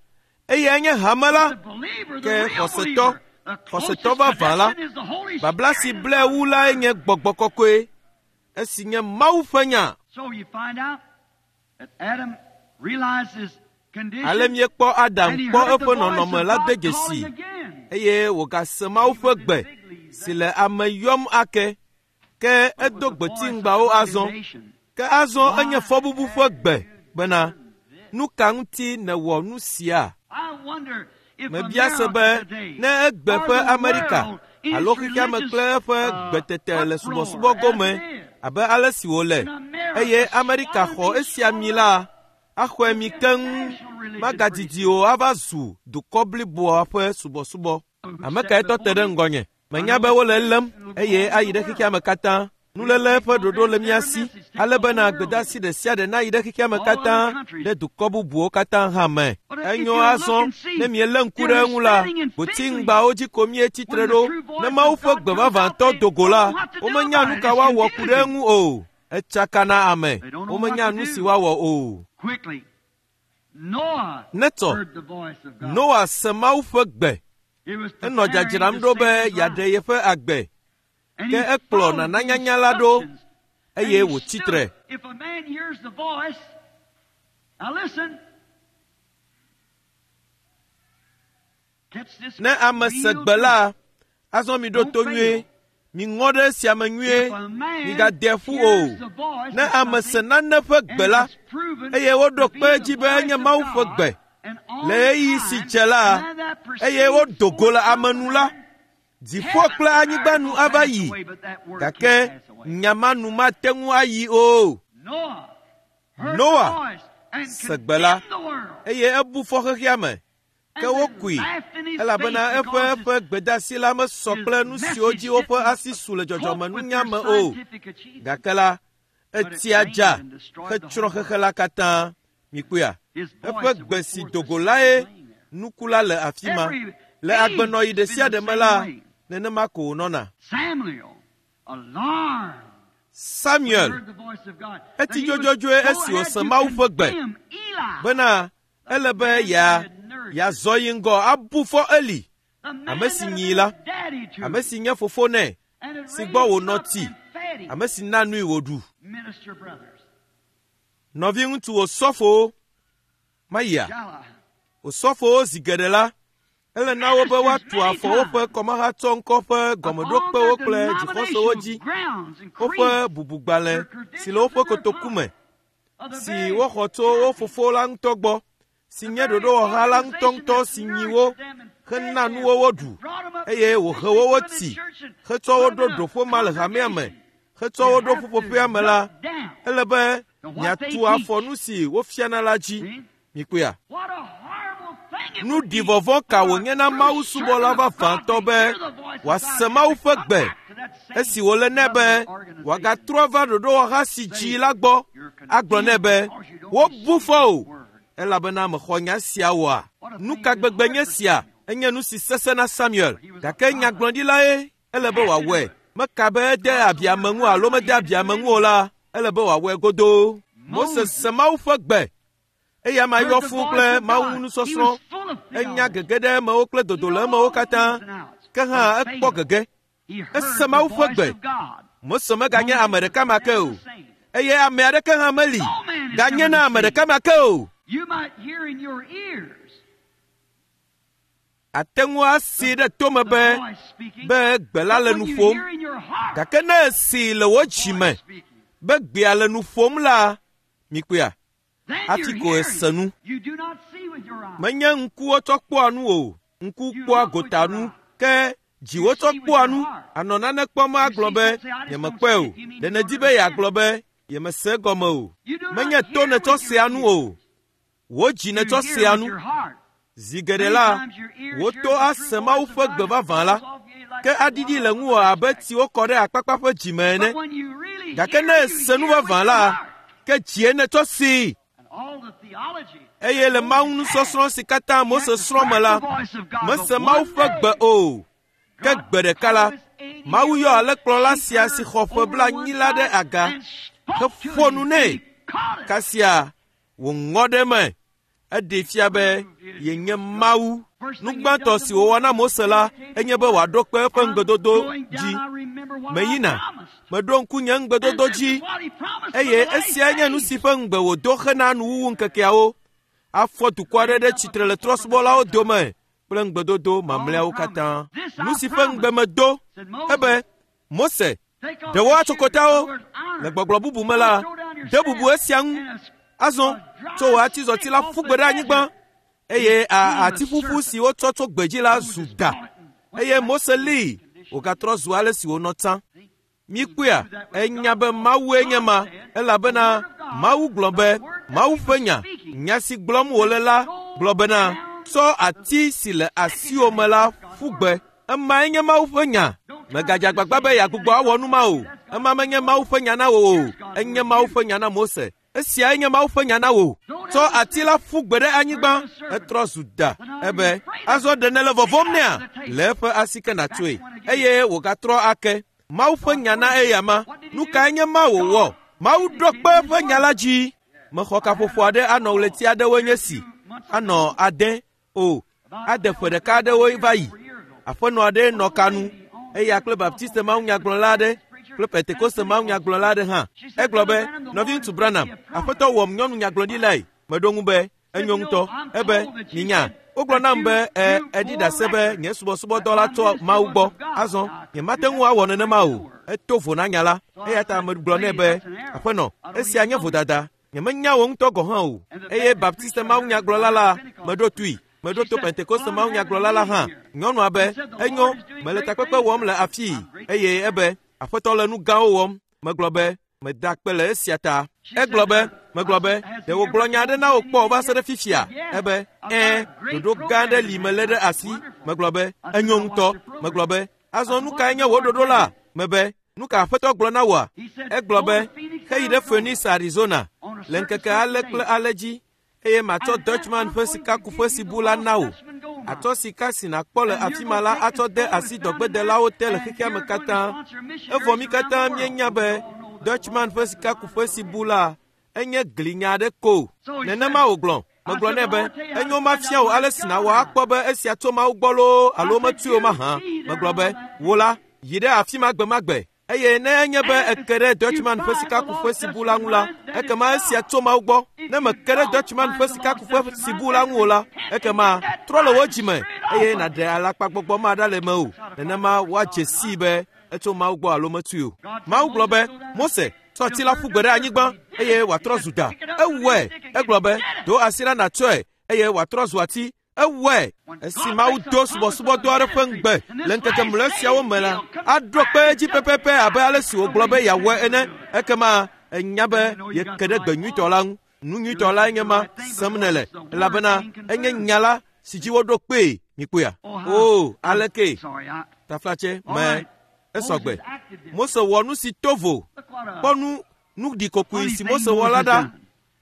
eyae nye hame la. The believer, the Ke real xɔsetɔ, believer, the xɔsetɔ closest vavã la, connection is the Holy babla si Spirit and blae wu lae nye gbɔgbɔ kɔkɔe, esi nye Mawu ƒe nya. So you find out that Adam realized his condition Ale míekpɔ Adam and he kpɔ heard the eƒe voice nɔnɔme of la de God dzesi calling again. eye wògase Mawu ƒe gbe si le ame yɔm ake. Ke But edo with the voice of gbetsiŋgbawo azɔ. condemnation. Ke azɔ enye Why fɔbubu ƒe have gbe you bena, done this? nu ka ŋuti nèwɔ nu sia? I wonder if Mebia se America be today ne egbe or ƒe the Amerika world in alo its xexeame religious kple eƒe uh, gbetete le uproar subɔsubɔ as gome it is, abe ale si wòle and America eye Amerika swallowed xɔ be esia mi swallowed la, up axɔe to mi be a keŋ national religion pretty magadidi soon. o ava zu dukɔ bliboa ƒe subɔsubɔ. Who Ame sat kae tɔ te before ɖe me? ŋgɔnye? I Menya know be it's wole elém and it'll go eye all over ayi the ɖe world. xexeame katã. We have Nuléle taken ƒe no ɖoɖo le damn mía every si message, take ale the whole bena world gbedeasi in. ɖe sia ɖe nayi ɖe xexeame All other katã countries. ɖe dukɔ bubuwo katã hã me. But if Enyo you look azɔ and see, ne mielé ŋku ɖe they're eŋu la, standing in fig leaves. gbotsiŋgbawo dzi ko míetsi tre When the ɖo. true Ne voice Mawu of ƒe God gbe comes out, vavãtɔ they do go don't la, know what to do womenya about nu it. ka It's woawɔ ku ɖe confusing. eŋu o. Etsaka na ame. They don't know what Womenya to nu si do. woawɔ o. Quickly, Noah Netɔ, heard the voice of God. Noa se Mawu ƒe gbe. He was Enɔ preparing dzadzram to ɖo be save his yeaɖe life. yeƒe agbe. And Ke he ekplɔ followed the nananyanya la ɖo instructions. And eye he wòtsi stood. tre. If a man hears the voice, now listen. Catch this Ne ame se real gbe truth. la, azɔ miɖo Don't to nyuie. fail. Miŋɔ ɖe esia me nyuie. If a man Migade ƒu hears o. the voice Ne of ame se something nane ƒe and gbe la, it's proven eye woɖo to be kpe the edzi be voice enye of Mawu ƒe God, gbe and on le ɣeyiɣi si time, dze la, and that eye proceeds wodo go forth le from ame the nu la, man, dziƒo heaven kple and anyigba earth nu will ava pass yi. away, but that word can't Gake pass away. nya ma nu mate ŋu ayi o. Noah heard the Noa voice and se gbe la condemned the world eye ebu fɔ xexeame. Ke and then wokui laughed in his elabena face eƒe because his, eƒe gbedeasi la mesɔ his kple nu siwo message dzi woƒe didn't asi su le cope with their dzɔdzɔmenunya me o. scientific achievement. Gake la, But it etsia rained dza and destroyed the hetsrɔ̃ whole xexe world. la katã. Mikpɔea, His eƒe voice that gbe went si forth do was go still lae laying there. nuku la le afi ma. Every Le age agbenɔɣi has ɖe been sia the ɖe me same la, way. Nenema ko wònɔna. Samuel, alarmed, Samuel heard the voice of God. eti That he would dzodzodzoe go esi ahead wòse to Mawu ƒe gbe condemn Eli, bena ele be yea yeazɔ yi ŋgɔ abu fɔ Eli, the man ame si that had nyi been la, daddy to ame si nye fofo nɛ, and had si raised gbɔ him wònɔ up ti, and fed him. ame si na nui wòɖu. Minister brothers, Nɔviŋutsu osɔfowo mayia shall I? osɔfowo zi geɖe la, ele na wo be woatu afɔ woƒe kɔmahatsɔŋkɔ ƒe gɔmeɖokpewo Upon kple their dzixɔsewo dzi, denominational grounds and woƒe creeds bubugbalẽ si le woƒe kotoku me, of the si very woxɔ tso wo fofo la ŋutɔ gbɔ, si nye ɖoɖowɔha la ŋutɔŋutɔ si nyi wo hena nuwo woɖu, eye wòhe wo woti, hetsɔ wo ɖo ɖoƒe ma le hamea me, hetsɔ wo ɖo ƒuƒoƒea me la, ele be miatu afɔ nu si wofiana la dzi. See? Mikpɔea? What a horrible thing it Nu would be ɖivɔvɔ̃ ka for a wònye na true Mawu subɔla servant of God vavãtɔ to be hear the voice of wòase God Mawu and ƒe come gbe back to that same esi wòle nɛ be loving organization. wòagatrɔ va ɖoɖowɔha si dzi la gbɔ agblɔ nɛ be wobu fɔ o elabena mexɔ nya sia oa. Nu ka gbegbe nye sia? Enye nu si sesẽ na Samuel. Gake nyagblɔɖilae ele be wòawɔe. Meka be ede abi ame ŋu alo mede abi ame ŋu o la, ele be wòawɔe godoo. Mose se Mawu ƒe gbe eye ama Heard yɔ the fũu voice kple of Mawu God. He nusɔsrɔ̃. was full of Enya theology. gege ɖe emewo kple dodo le emewo katã. Ke hã ekpɔ gege. He heard Ese the Mawu ƒe voice gbe. of God. Mose meganye ame ɖeka ma ke o. Moses was never the same. Eye ame aɖeke hã meli ganye na ame ɖeka ma ke o. You might hear in your ears Ate ŋu asee ɖe tome the be voice speaking, be gbe la but le when nu you ƒom. hear in your heart Gake ne esee le wò the dzi voice me speaking, be gbea le nu ƒom la, mikpɔea, then hafi you're ko hearing. ese nu. You do not see with your eyes. Menye ŋkuwo tsɔ kpɔa nu o. Ŋku kpɔa gota nu. Ke dziwo tsɔ kpɔa nu. Anɔ nane kpɔm agblɔ be nyemekpɔe o. Ɖe nèdi be yeagblɔ be yemese egɔme o. You do not Menye to hear nètsɔ with your sea nu ears. o. Wò dzi You nètsɔ hear sea with nu. your heart. Zi geɖe Many la, times your ears wò hear to the true ase Mawu voice of ƒe God gbe and vavã la, falls off you like ke aɖiɖi le ŋuwò abe tsi wokɔ ɖe akpakpa ƒe dzime ene. But when you really Gake hear, ne you ese nu hear with vavã your la, heart. ke dzie nètsɔ see. And all the theology Eye le Mawu nusɔsrɔ̃ si katã Mose srɔ̃ me la, the voice of God, mese but Mawu one ƒe day, gbe o. Ke God gbe ɖeka la, called this Mawu yɔ eighty-year-old alẽkplɔla sia si xɔ ƒe over blaenyi one la ɖe side aga and spoke to heƒo him, nu and nɛ. he caught it. Kasia wòŋɔ ɖe eme. Eɖee fia be yenye Mawu. Nu gbãtɔ si wòwɔ na Mose la enye be wòaɖo kpe eƒe I'm ŋugbedodo going dzi. down, I remember what I Meyina, promised. meɖo ŋku nye And ŋugbedodo this dzi is what he promised for eye the last esiae nye nu days. si ƒe ŋugbe wòdo hena nuwuwu ŋkekeawo. Afɔ dukɔ aɖe ɖe tsitre le trɔ̃subɔlawo dome kple ŋugbedodo mamlɛawo katã. Nu si ƒe ŋugbe medo Said Moses, ebe Mose, take off ɖe wò your shoes, atsokotawo. in other words, honor. Le gbɔgblɔ bubu me la, Throw down your de bubu staff esia ŋu. and a- Azɔ a dry tso wò atizɔti stick la off ƒu the gbe ɖe anyigba desert. eye a Became a ati ƒuƒu serpent. si wotsɔ tso gbedzi la zu Moses da. caught it and went Eye back Mose to his lée condition. wògatrɔ zu ale si wònɔ tsã. See? Mikpɔea, He knew that was enya God. be Mawue nye God ma said, the elabena word of God, Mawu gblɔ the be word that Mawu he ƒe was nya, speaking, nya si gblɔm wòle la go gblɔ bena down tsɔ the ati si le stick in your asiwò hand. me la That's God's ƒu word. gbe. Emae nye Mawu ƒe nya. Don't try to Mègadze do the agbagba same be thing that yeagbugbɔ awɔ nu ma o. That's God's Ema word. menye Mawu ƒe nya na wò o. Here's God's Enye word to Mawu you. ƒe nya na Mose. Esiae nye Mawu ƒe nya na wò. Throw Tsɔ down the ati stick. la ƒu gbe ɖe Turn anyigba, to the serpent. etrɔ zu da. But now you're Ebe afraid of azɔ it. ɖe nèle Take vɔvɔ̃m it out of nɛa? the table. Le eƒe asi ke Back nàtsoe. one again. Eye wògatrɔ ake. Mawu ƒe God's nya na word to you. eya ma. What did he Nu do? kae nye ma wòwɔ? God Mawu ɖo vindicated kpe his eƒe nya word. la dzi. Mexɔ I had kaƒoƒo a aɖe anɔ ɣleti call aɖewoe here nye a si. few months Anɔ ago, ade o about ade ƒe oh, ɖeka three, four aɖewoe years, va yi. over a year ago. Aƒenɔ aɖe nɔ Old ka nu lady on eya kple the telephone Baptiste said she mawunyagblɔla was a aɖe Baptist preacher kple and a Pentekoste Pentecostal. mawunyagblɔla aɖe hã. She said, Egblɔ Brother be, Branham, the Lord nɔviŋutsu has given Branham, me a promise. aƒetɔ wɔm nyɔnu nyagblɔɖilae. Meɖo ŋu be, Said, enyo you know, ŋutɔ. I'm Ebe, told that you minya, said wogblɔ that nam you be e you eɖi bore ɖase be record nye that subɔsubɔdɔ la my tso ministry Mawu was gbɔ. of God. Azɔ, Now, I couldn't do nyemate that. ŋu awɔ I nenema break the o. word. Eto vo na nya la. So I Eya ta said, megblɔ nɛ lady, be, that's an error. aƒenɔ, I don't esia even nye know you. vodada. Nyemenya wò ŋutɔ gɔ̃ hã o. And the Eye Baptist Baptiste preacher heard, mawunyagblɔla I heard la the Pentecostal meɖo toe. preacher. Meɖo She to said, Pentekoste well, I'm having a mawunyagblɔla la meeting hã. here. Nyɔnua And be, said, the enyo, Lord is doing mele great takpekpe things wɔm here. le afii. I'm grateful Eye for ebe, that. aƒetɔ le nu gãwo wɔm. Megblɔ be, meda akpe le esia ta. She said, Egblɔ be, uh, I megblɔ be, said, has ɖe he ever wògblɔ nya told aɖe you na wò kpɔ va anything se ɖe yet? She fifia? said, yes. Ebe, I've got ɛ̃, a great ɖoɖo gã program aɖe in li hand. melé I ɖe said, asi. wonderful. Megblɔ be, I said, enyo now watch ŋutɔ. your Megblɔ program. be, I azɔ said, nu what's kae the nye wò Lord ɖoɖo tell la? you? Mebe, nu ka aƒetɔ gblɔ na wòa? He said, Egblɔ go be, to Phoenix, heyi ɖe Arizona Phoenix, Arizona on a le certain ŋkeke certain ale kple day. ale dzi eye matsɔ And then Dutchman I'm ƒe going to give sikakuƒe you si the bu la lost na wò. Dutchman gold Atsɔ sika si nàkpɔ le afi ma la atsɔ de asi dɔgbedelawo te le xexea me katã. Evɔ mí katã míenya be Dutchman ƒe sikakuƒe si bu la enye glinya aɖe ko. Nenema wògblɔ. Megblɔ nɛ be enyo mafia wò ale si nàwɔ akpɔ be esia tso Mawu gbɔ loo alo metui o mahã. Megblɔ be wò la yi ɖe afi ma gbe ma gbe eye ne enye be eke ɖe Dutchman ƒe sikakuƒe si bu la ŋu la, ekema esia tso Mawu gbɔ. Ne meke ɖe Dutchman ƒe sikakuƒe si bu la ŋu o la, ekema trɔ le wò dzime eye nàɖe alakpagbɔgbɔ ma ɖa le mewò. Nenema woadze sii be etso Mawu gbɔ alo metui o. Mawu gblɔ be, Mose, tsɔ ati la ƒu gbe ɖe anyigba eye wòatrɔ zu da. Ewɔe. Egblɔ be, do asi ɖa nàtsɔe eye wòatrɔ zu ati. Ewɔe. Esi Mawu do subɔsubɔdɔ aɖe ƒe ŋugbe le ŋkeke mlɔe siawo me la, aɖo kpe edzi pɛpɛpɛ abe ale si wògblɔ be yeawɔe ene. Ekema enya be yeke ɖe gbe nyuitɔ la ŋu. Nu nyuitɔ lae nye ma sem nèle, elabena enye nya la si dzi woɖo kpee. Mikpɔea? O, aleke? Taflatse me esɔgbe. Mose wɔ nu si to vo. Kpɔ nu nu ɖikokoe si Mose wɔ la ɖa.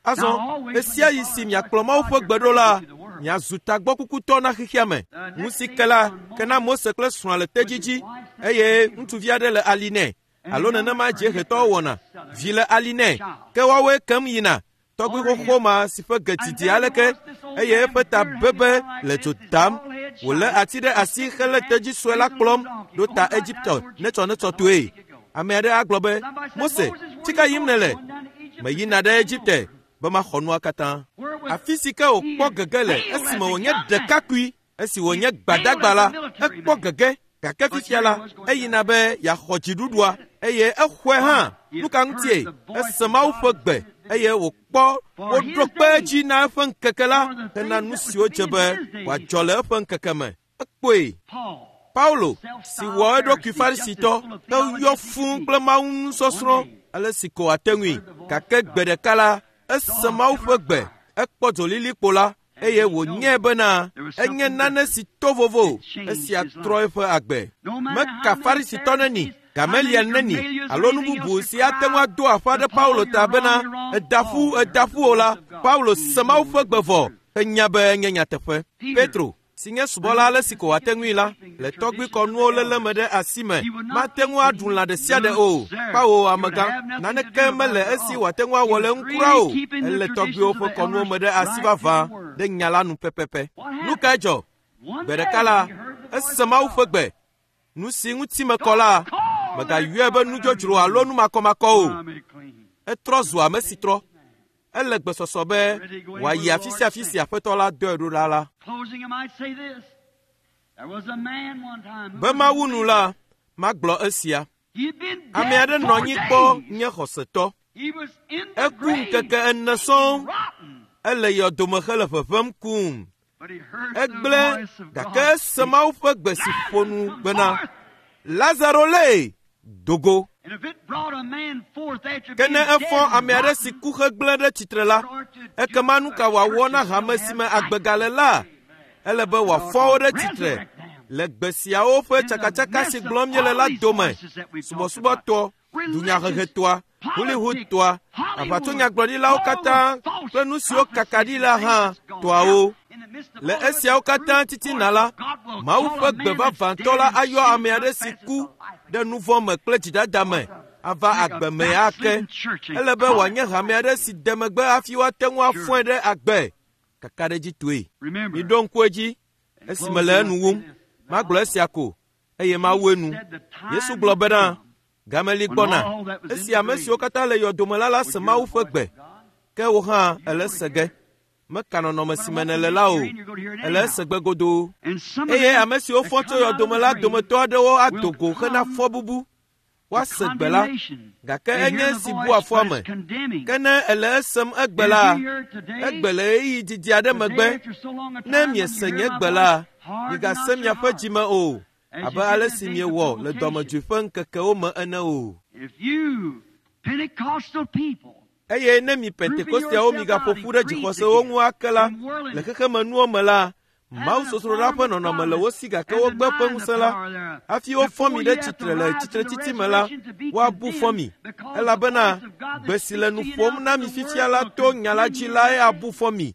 Azɔ esia yi si miakplɔ Mawu ƒe gbe ɖo la, miazu tagbɔkukutɔ na xexea me. Nu si ke la ke na Mose kple srɔ̃a le tedzi dzi eye ŋutsuvi aɖe le ali nɛ. Alo nenema dziehetɔwo wɔna. Vi le ali nɛ ke woawoe kem yina. Tɔgbi xoxo ma si ƒe ge didi aleke eye eƒe ta bebe le dzo dam. Wòlé ati ɖe asi hele tedzi sue la kplɔm ɖo ta Egipte netsɔnetsɔ toe. Ame aɖe agblɔ be, Mose, fi ka yim nèle? Meyina ɖe Egipte be maxɔ nua katã. Afi si ke wòkpɔ gege le esime wònye ɖekakpui, esi wònye gbadagba la, ekpɔ gege. Gake fifia la, eyina be yeaxɔ dziɖuɖua eye exɔe hã. Nu ka ŋutie? Ese Mawu ƒe gbe eye wòkpɔ woɖo kpe edzi na eƒe ŋkeke la hena nu siwo dze be wòadzɔ le eƒe ŋkeke me. Ekpɔe. Paulo si wɔ eɖokui Farisitɔ heyɔ fũu kple Mawu nusɔsrɔ̃ ale si ko wòate ŋui. Gake gbe ɖeka la, ese Mawu ƒe gbe, ekpɔ dzolilikpo la eye wònyae bena enye nane si to vovo. Esia trɔ eƒe agbe. Meka Farisitɔ neni, Gamaliel neni alo nu bubu si ate ŋu ado aƒa ɖe Paulo ta bena eda ƒu eda ƒu o la, Paulo se Mawu ƒe gbe vɔ henya be enye nyateƒe. Petro si nye subɔla ale si ko wòate ŋui la, le tɔgbuikɔnuwo léle me ɖe asi me, mate ŋu aɖu lã ɖe sia ɖe o. Kpawo amegã, naneke mele esi wòate ŋu awɔ le ŋu o. Ele tɔgbuiwo ƒe kɔnuwo me ɖe asi vavã ɖe nya la nu pɛpɛpɛ. Nu kae dzɔ? Gbe ɖeka la, ese Mawu ƒe gbe. Nu si ŋuti mekɔ la, mègayɔe be nudzodzro alo numakɔmakɔ o. Etrɔ zu ame si trɔ. Ele gbesɔsɔ be wòayi afi sia afi si Aƒetɔ la dɔe ɖo ɖa la. Be Mawu nu la, magblɔ esia. Ame aɖe nɔ anyi kpɔ nye xɔsetɔ. Eku ŋkeke ene sɔŋ. Ele yɔdome hele ʋeʋẽm kum. Egblẽ gake ese Mawu ƒe gbe si ƒo nu bena, Lazaro lée dogo. Ke ne efɔ ame aɖe si ku hegblẽ ɖe tsitre la, ekema nu ka wòawɔ na hame si me agbe gale la? Ele be wòafɔ wo ɖe tsitre le gbe siawo ƒe tsakatsaka si gblɔm míele la dome. Subɔsubɔtɔ, dunyahehetɔa, Hollywoodtɔa, aʋatsonyagblɔɖilawo katã kple nu siwo kaka ɖi la hã tɔawo. Le esiawo katã titina la, Mawu ƒe gbe vavãtɔ la ayɔ ame aɖe si ku ɖe nu vɔ̃ me kple dzidada me ava agbe me ake. Ele be wòanye hame aɖe si de megbe hafi woate ŋu afɔe ɖe agbe. Kakaɖedzitɔe. Miɖo ŋku edzi esime le enu wum. Magblɔ esia ko eye mawu enu. Yesu gblɔ bena, Gameli gbɔna esi ame siwo katã le yɔdome la la se Mawu ƒe gbe. Ke wò hã èle se ge. Meka nɔnɔme si me nèle la o. Ele ese gbe godoo. Eye ame siwo fɔ tso yɔdome la dometɔ aɖewo ado go hena fɔbubu. Woase gbe la, gake enye esi bua fɔ ame. Ke ne èle esem egbe la, egbe le ɣeyiɣi didi aɖe megbe. Ne miese nye gbe la, migase miaƒe dzime o, abe ale si miewɔ le dɔmedzoe ƒe ŋkekewo me ene o. Eye ne mi Pentekosteawo migaƒo ƒu ɖe dzixɔsewo ŋu ake la, le xexemenuwo me la, Mawu sosroɖa ƒe nɔnɔme le wo si gake wogbe ƒe ŋusẽ la, hafi wofɔ mi ɖe tsitre le tsitretsitsi me la, woabu fɔ mi. Elabena gbe si le nu ƒom na mi fifia la to nya la dzi lae abu fɔ mi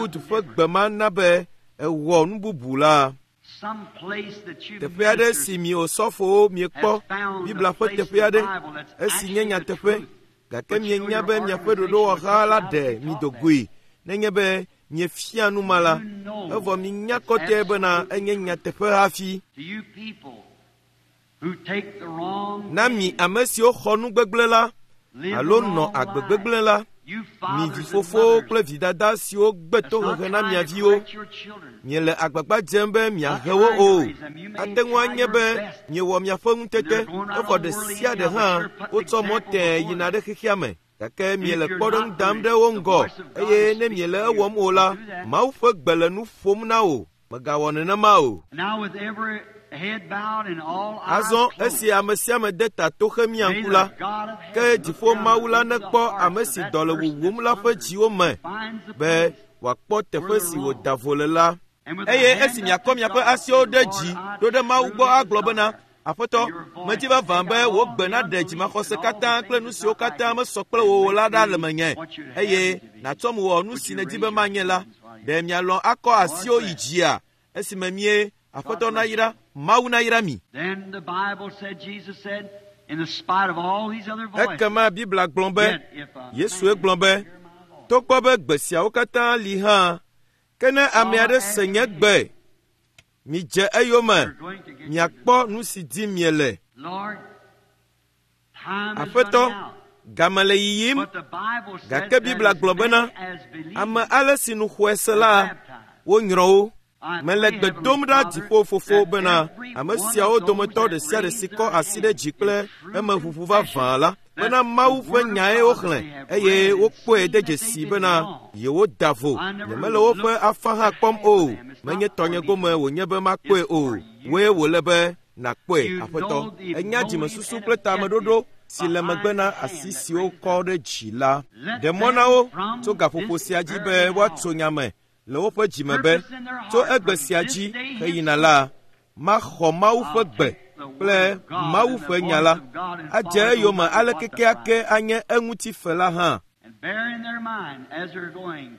Wood ƒe gbe ma na be ewɔ nu bubu la. Some place that you Teƒe aɖe ministers si mi osɔfowo miekpɔ has found Biblia a ƒe place in teƒe the aɖe Bible that's esi nye actually the nyateƒe truth. gake But you know mienya your be miaƒe organization ɖoɖowɔha la would ɖe not mi be do taught goe nenye be miefia nu ma la, evɔ minya kɔtɛe bena enye nyateƒe hafi. To you people who take the wrong Na mi ame siwo xɔ nu gbegblẽ la live alo the nɔ wrong agbe life, gbegblẽ la, you mi fathers and vifofowo mothers, kple vidada siwo gbe that's not tohehe na trying mia to viwo, correct your children. miele agbagba dzem be miahe wo o. Ate ŋu anye be miewɔ miaƒe ŋutete, evɔ ɖe sia ɖe hã wotsɔ mɔ tẽe yina ɖe xexea me. Gake miele kpɔɖeŋu dam ɖe wo ŋgɔ eye ne miele ewɔm o la, Mawu ƒe gbe le nu ƒom na wò. Mègawɔ nenema o. Now with every head bowed and all eyes Azɔ closed, esi ame sia ame de ta to xemia may ŋku the la, God of ke heaven dziƒo look down Mawu la into the nekpɔ hearts ame of si that dɔ le person wuwum that's la ƒe hungry, dziwo me finds the be place wòakpɔ teƒe si wòda vo le la. And with the Eye hand esi up miakɔ to miaƒe God, asiwo ɖe say, dzi Lord, I ɖo ɖe Mawu gbɔ truly agblɔ bena, desire Aƒetɔ, medzi vavã be wò gbe naɖe dzimaxɔse katã kple nu siwo katã mesɔ kple wò o la ɖa le menye eye nàtsɔm wɔ nu si nèdi be manye la. Ɖe mialɔ̃ akɔ asiwo yi dzia esime mie Aƒetɔ nayra, Mawu nayra mi. Then the Bible said, Jesus said, in the spite of all these other voices, Ekema Biblia gblɔ be, yet if a Yesue man gblɔ be, hear my voice, togbɔ be gbe siawo katã li hã, ke ne ame aɖe se nye gbe, midze eyome, you're going to get your miakpɔ nu si dim miele. Lord, time is Aƒetɔ, running out. game le yiyim, But the Bible said gake that Biblia as gblɔ bena, many as believe ame ale si nu xɔe se la, baptized. wonyrɔ wo. I Mele pray, gbe Heavenly dom ɖa Father, dziƒo fofo that bena every ame one siawo of those dometɔ that ɖe sia ɖe si raise kɔ their asi ɖe dzi hand kple in true emeʋuʋu confession vavã la that bena Mawu the ƒe word of nyae God woxlẽ that they have eye read and wokpɔe seen de that they dzesi did bena wrong. yewoda vo. I never Nyemele woƒe looked afã hã at kpɔm half o. of them. It's Menye not for tɔnye me. gome wònye be makpɔe It's o. for you. Wòe wòle be nàkpɔe, You Aƒetɔ. know the Enya motive dzimesusu and kple tameɖoɖo objective si le megbe behind na the asi hand that siwo raised kɔ up. ɖe dzi la. Let Ɖe mɔ na them wo from tso gaƒoƒo this sia dzi be very woatso hour nya me le woƒe dzime be purpose in their tso heart egbe from sia this dzi day heyina henceforth, la, maxɔ Mawu ƒe I'll gbe take the kple word of God Mawu and the ƒe nya voice la of God and adze follow it no eyome matter ale what the kekeake price. anye eŋuti fe la hã. And bear in their mind as they're going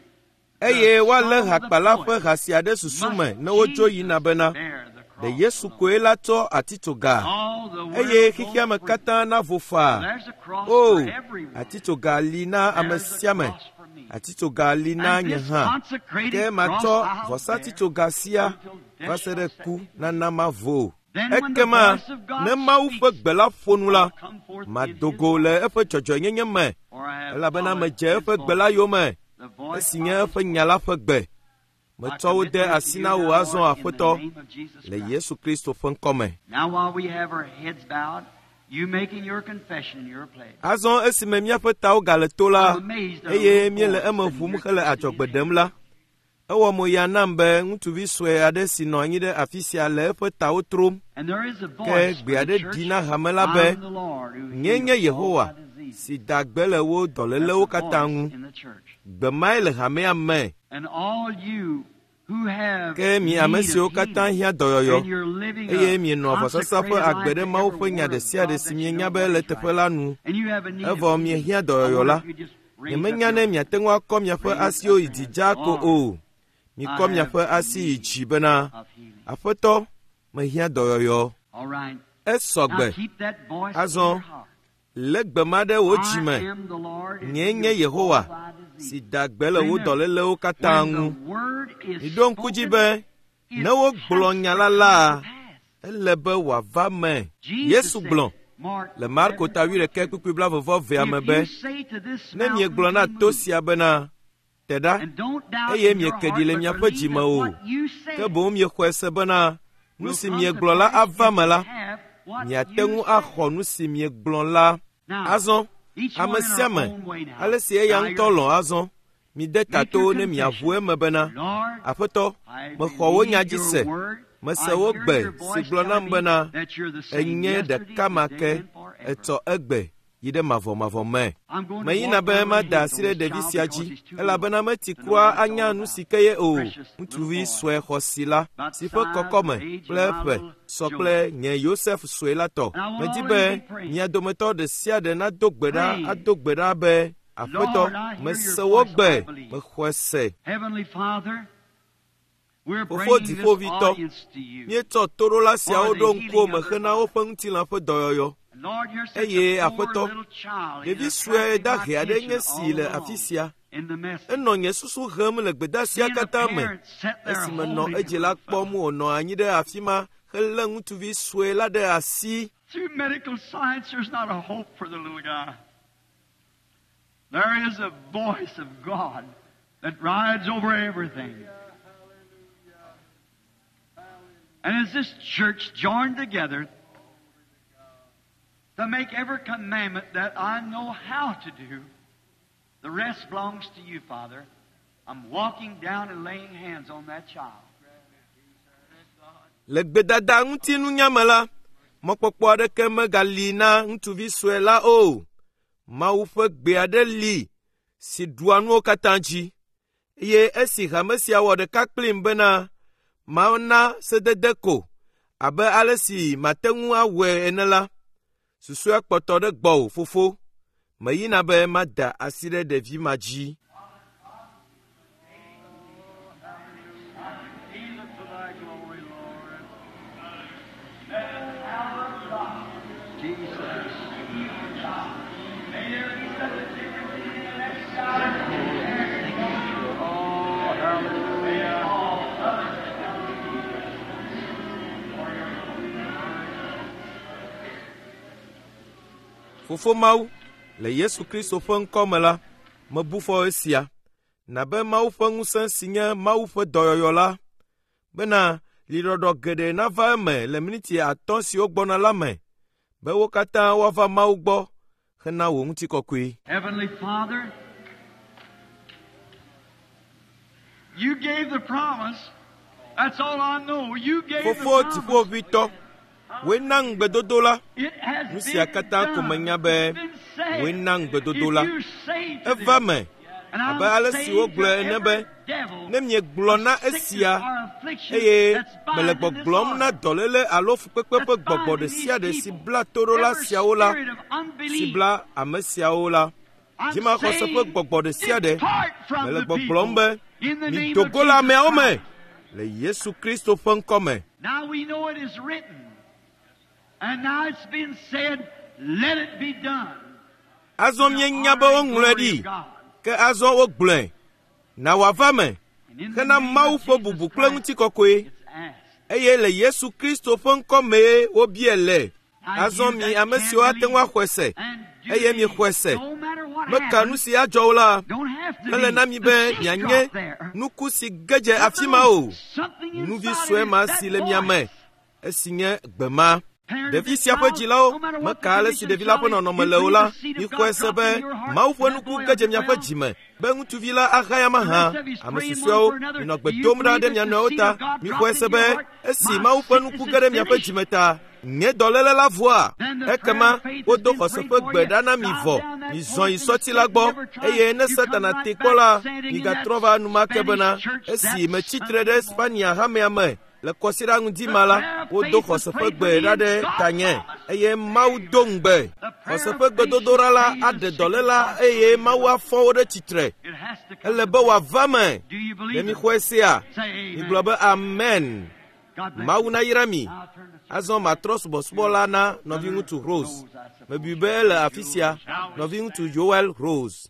Eye the woalé song of the hakpala ƒe poet, ha sia ɖe susu me must ne wodzo yina Jesus bena bear the ɖe cross Yesu alone? koe la tsɔ atitsoga All the eye world xexea goes me free. katã navo faa. There's a cross O, for everyone. atitsoga li na ame There's a sia ame. cross for me. Atitsoga li na And nye this hã. consecrated Ke cross matsɔ I'll bear vɔsatitsoga sia until va death se shall ɖe set ku me free. nana mavo. Then when the Ekema voice of God ne Mawu ƒe speaks, gbe la ƒo nu la, I'll come forth in his mado go light, le eƒe dzɔdzɔenyenye me for I have elabena followed medze his eƒe gbe la voice, yome the voice esi of nye his eƒe nya la ƒe gbe. I Metsɔ wo commit de them to asi you na wò now, azɔ Lord, in the Aƒetɔ name of Jesus le Christ. Yesu Kristo ƒe ŋkɔme. Now while we have our heads bowed, you making your confession in your place. Azɔ esime míaƒe tawo gale to la I'm amazed at a eye little míele boy eme sitting ʋum here hele twisting his adzɔgbe hand. ɖem la, ewɔ mo ya nam be ŋutsuvi sue aɖe si nɔ anyi ɖe afi sia le eƒe tawo trom And there is a ke voice gbe for the aɖe church, ɖi na hame la be, I'm the Lord who Nyee nye heals all Yehowa thy diseases. si da gbe le wò That's dɔlélewo a katã voice ŋu. in the church. Gbe mae le hamea me. And all you who have Ke mi ame need siwo of katã healing, hiã dɔyɔyɔ and you're living eye a mienɔa vɔsasa ƒe consecrated agbe life ɖe to Mawu every ƒe nya word ɖe of sia ɖe God si that you mienya know be what le is teƒe right, la nu, and you have a need of evɔ healing, miehiã I dɔyɔyɔ wonder la, if you just raise up nyemenya your ne hand. miate ŋu akɔ miaƒe Raise up asiwo yi your dzi hand. dzaa ko Lord, o. I Mikɔ have miaƒe asi yi need dzi bena, of healing. Aƒetɔ, mehiã dɔyɔyɔ. All right. Esɔ Now gbe. keep that voice in Azɔ, your heart. lé gbe ma ɖe wò I dzime. am the Lord who Nyee nye heals all Yehowa thy si diseases. da gbe le wò Remember, dɔlélewo katã when ŋu. the word is Miɖo ŋku dzi spoken, be it ne wogblɔ has nya to la come la, to pass. ele be wòava me. Jesus Yesu said, gblɔ Mark le Marko eleven ta wuiɖekɛ twenty-two, kpukpui blaeve vɔ evea me if be, you say to this ne mountain miegblɔ na be to moved, sia bena, te ɖa, and don't doubt eye in your mieke ɖi heart, le but miaƒe believe dzime that o, what you ke said boŋ miexɔe se bena nu will si come to miegblɔ la pass, ava you me la, shall have what miate you ŋu say. axɔ nu si miegblɔ la. Now, Azɔ, each ame one in sia our ame, own way now, ale si eya bow ŋutɔ your lɔ̃ azɔ, mide Make ta your to ne miaʋu confession. eme bena, Lord, Aƒetɔ, I mexɔ wò nya believe dzi your se. word. Mese I wò hear gbe your si voice gblɔ nam telling me bena, that you're the same enye yesterday, ɖeka ma today, ke, and forever. etsɔ egbe yi ɖe mavɔmavɔ me. I'm going to Meyina walk be my little mada hands asi on ɖe this ɖevi child sia because dzi he's too little elabena meti to know kura what it's all anya nu about. si ke ye o. Precious little Ŋutsuvi boy, sue xɔsi la about the si ƒe size of kɔkɔme age of kple my ƒe little sɔ kple Joseph. nye Yosef sue la tɔ. And I want Medi all of you be to be praying. mia dometɔ ɖe sia ɖe nado gbe ɖa Praying. ado gbe ɖa be, Aƒetɔ, Lord, I hear your mese wò voice, gbe, I believe. mexɔe se. Heavenly Father, we're Fofo bringing this dziƒovitɔ, audience to you míetsɔ toɖola for siawo the ɖo ŋkuwò healing me of their hena body. woƒe ŋutilã ƒe dɔyɔyɔ. Eye Aƒetɔ, ɖevi sue dahe aɖe nye si le afi sia. Enɔ nye susu hem le gbedeasia katã me. Esime nɔ edzi la kpɔm wònɔ anyi ɖe afi ma helé ŋutsuvi sue la ɖe asi. Through medical science, there's not a hope for the little guy. There is a voice of God that rides over everything. And as this church joined together to make every commandment that I know how to do, the rest belongs to you, Father. I'm walking down and laying hands on that child. Le gbedada ŋuti nunya me la, mɔkpɔkpɔ aɖeke megali na ŋutsuvi sue la o. Mawu ƒe gbe aɖe li si ɖua nuwo katã dzi. Eye esi hame sia wɔ ɖeka kplim bena mana sedede ko abe ale si mate ŋu awɔe ene la, susɔea kpɔtɔ ɖe gbɔwò fofo. Meyina be mada asi ɖe ɖevi ma dzi. Oh, hallelujah. Fofo Mawu, le Yesu Kristo ƒe ŋkɔ me la, mebu fɔ esia, nabe Mawu ƒe ŋusẽ si nye Mawu ƒe dɔyɔyɔ la, bena liɖɔɖɔ geɖe nava eme le miniti atɔ̃ siwo gbɔna la me, be wo katã woava Mawu gbɔ hena wò ŋutikɔkɔe. Heavenly Father, you gave the promise. That's all I know. You gave the Fofo promise. dziƒoʋĩtɔ, wòe na ŋugbedodo la. It has Nu sia been katã ko done. menya be It's been said. wòe na ŋugbedodo If la. you say to Eva them, me and abe I'm ale si saying wogblɔe to ene every be, devil, ne miegblɔ na sickness esia or affliction eye that's mele binding this gbɔgblɔm na heart, dɔléle alo fukpekpe ƒe that's gbɔgbɔ binding ɖe sia ɖe these si people, bla toɖola every siawo la, spirit of si unbelief, bla ame siawo la, I'm dzimaxɔse ƒe saying, gbɔgbɔ ɖe sia ɖe, depart from mele the gbɔgblɔm people be, in the name mido of go le Jesus ameawo me Christ. le Yesu Kristo ƒe ŋkɔ me. Now we know it is written, and now it's been said, let it be done. Azɔ míenya be woŋlɔe ɖi, ke azɔ wogblɔe. Na wòava me And in the hena name Mawu of ƒe Jesus bubu kple Christ, ŋutikɔkɔe. it's asked. Eye le Yesu Kristo ƒe ŋkɔ mee wobiae le. Azɔ mi ame siwo ate ŋu axɔe se, And do eye believe. miexɔe se. No matter what Meka nu happens, si adzɔ o la, don't have to mele be na mi the be seed mianye drop there. nuku si ge dze afi ma o. Something Nuvi inside sue of ma it, si that le mia me, voice. esi nye gbe ma. Parent of Ɖevi this sia ƒe child, dzilawo no matter what meka the ale si condition ɖevi la ƒe child is, nɔnɔme you le o believe la, the seed of mixɔe God se dropped be in your heart, Mawu ƒe that nuku boy ge dze will miaƒe well. dzi me be ŋutsuvi la ahaya The mahã. rest of you's Ame praying one susɔeawo for another. minɔ Do gbe you dom ɖa believe ɖe that mia the nɔewo seed ta. of God Mixɔe dropped se into be your heart? esi My Mawu ƒe sickness nuku is ge ɖe miaƒe finished. dzi me ta, nye dɔléle la vɔa. Then the Ekema prayer of faith has wodo been xɔse prayed ƒe for gbe you. ɖa na mi Drive vɔ. down that Mizɔ yi pulpit and sɔti la Satan gbɔ never tries. eye ne You come Satana right te back kpɔ la, standing in that migatrɔ va enumake Spanish bena church esi that metsi tre Sunday ɖe morning. Spania hamea me le kɔsiɖa ŋdi The ma la, prayer of wodo faith was xɔse ƒe prayed for gbe me ɖa and ɖe God tanye promised. eye Mawu do ŋugbe. The prayer Xɔse of ƒe faith gbedodoɖa la should raise aɖe the sick dɔléla and eye Mawu afɔ wo ɖe tsitre. It has to come Ele to be pass. wòava me. Do you Ɖe believe it? mixɔe sea? Say Migblɔ amen. be amen. God bless Mawu you. nayra mi. Now turn the Azɔ matrɔ subɔsubɔ la na nɔviŋutsu Rose. Mebui be ele afi sia. Nɔviŋutsu Joel Rose.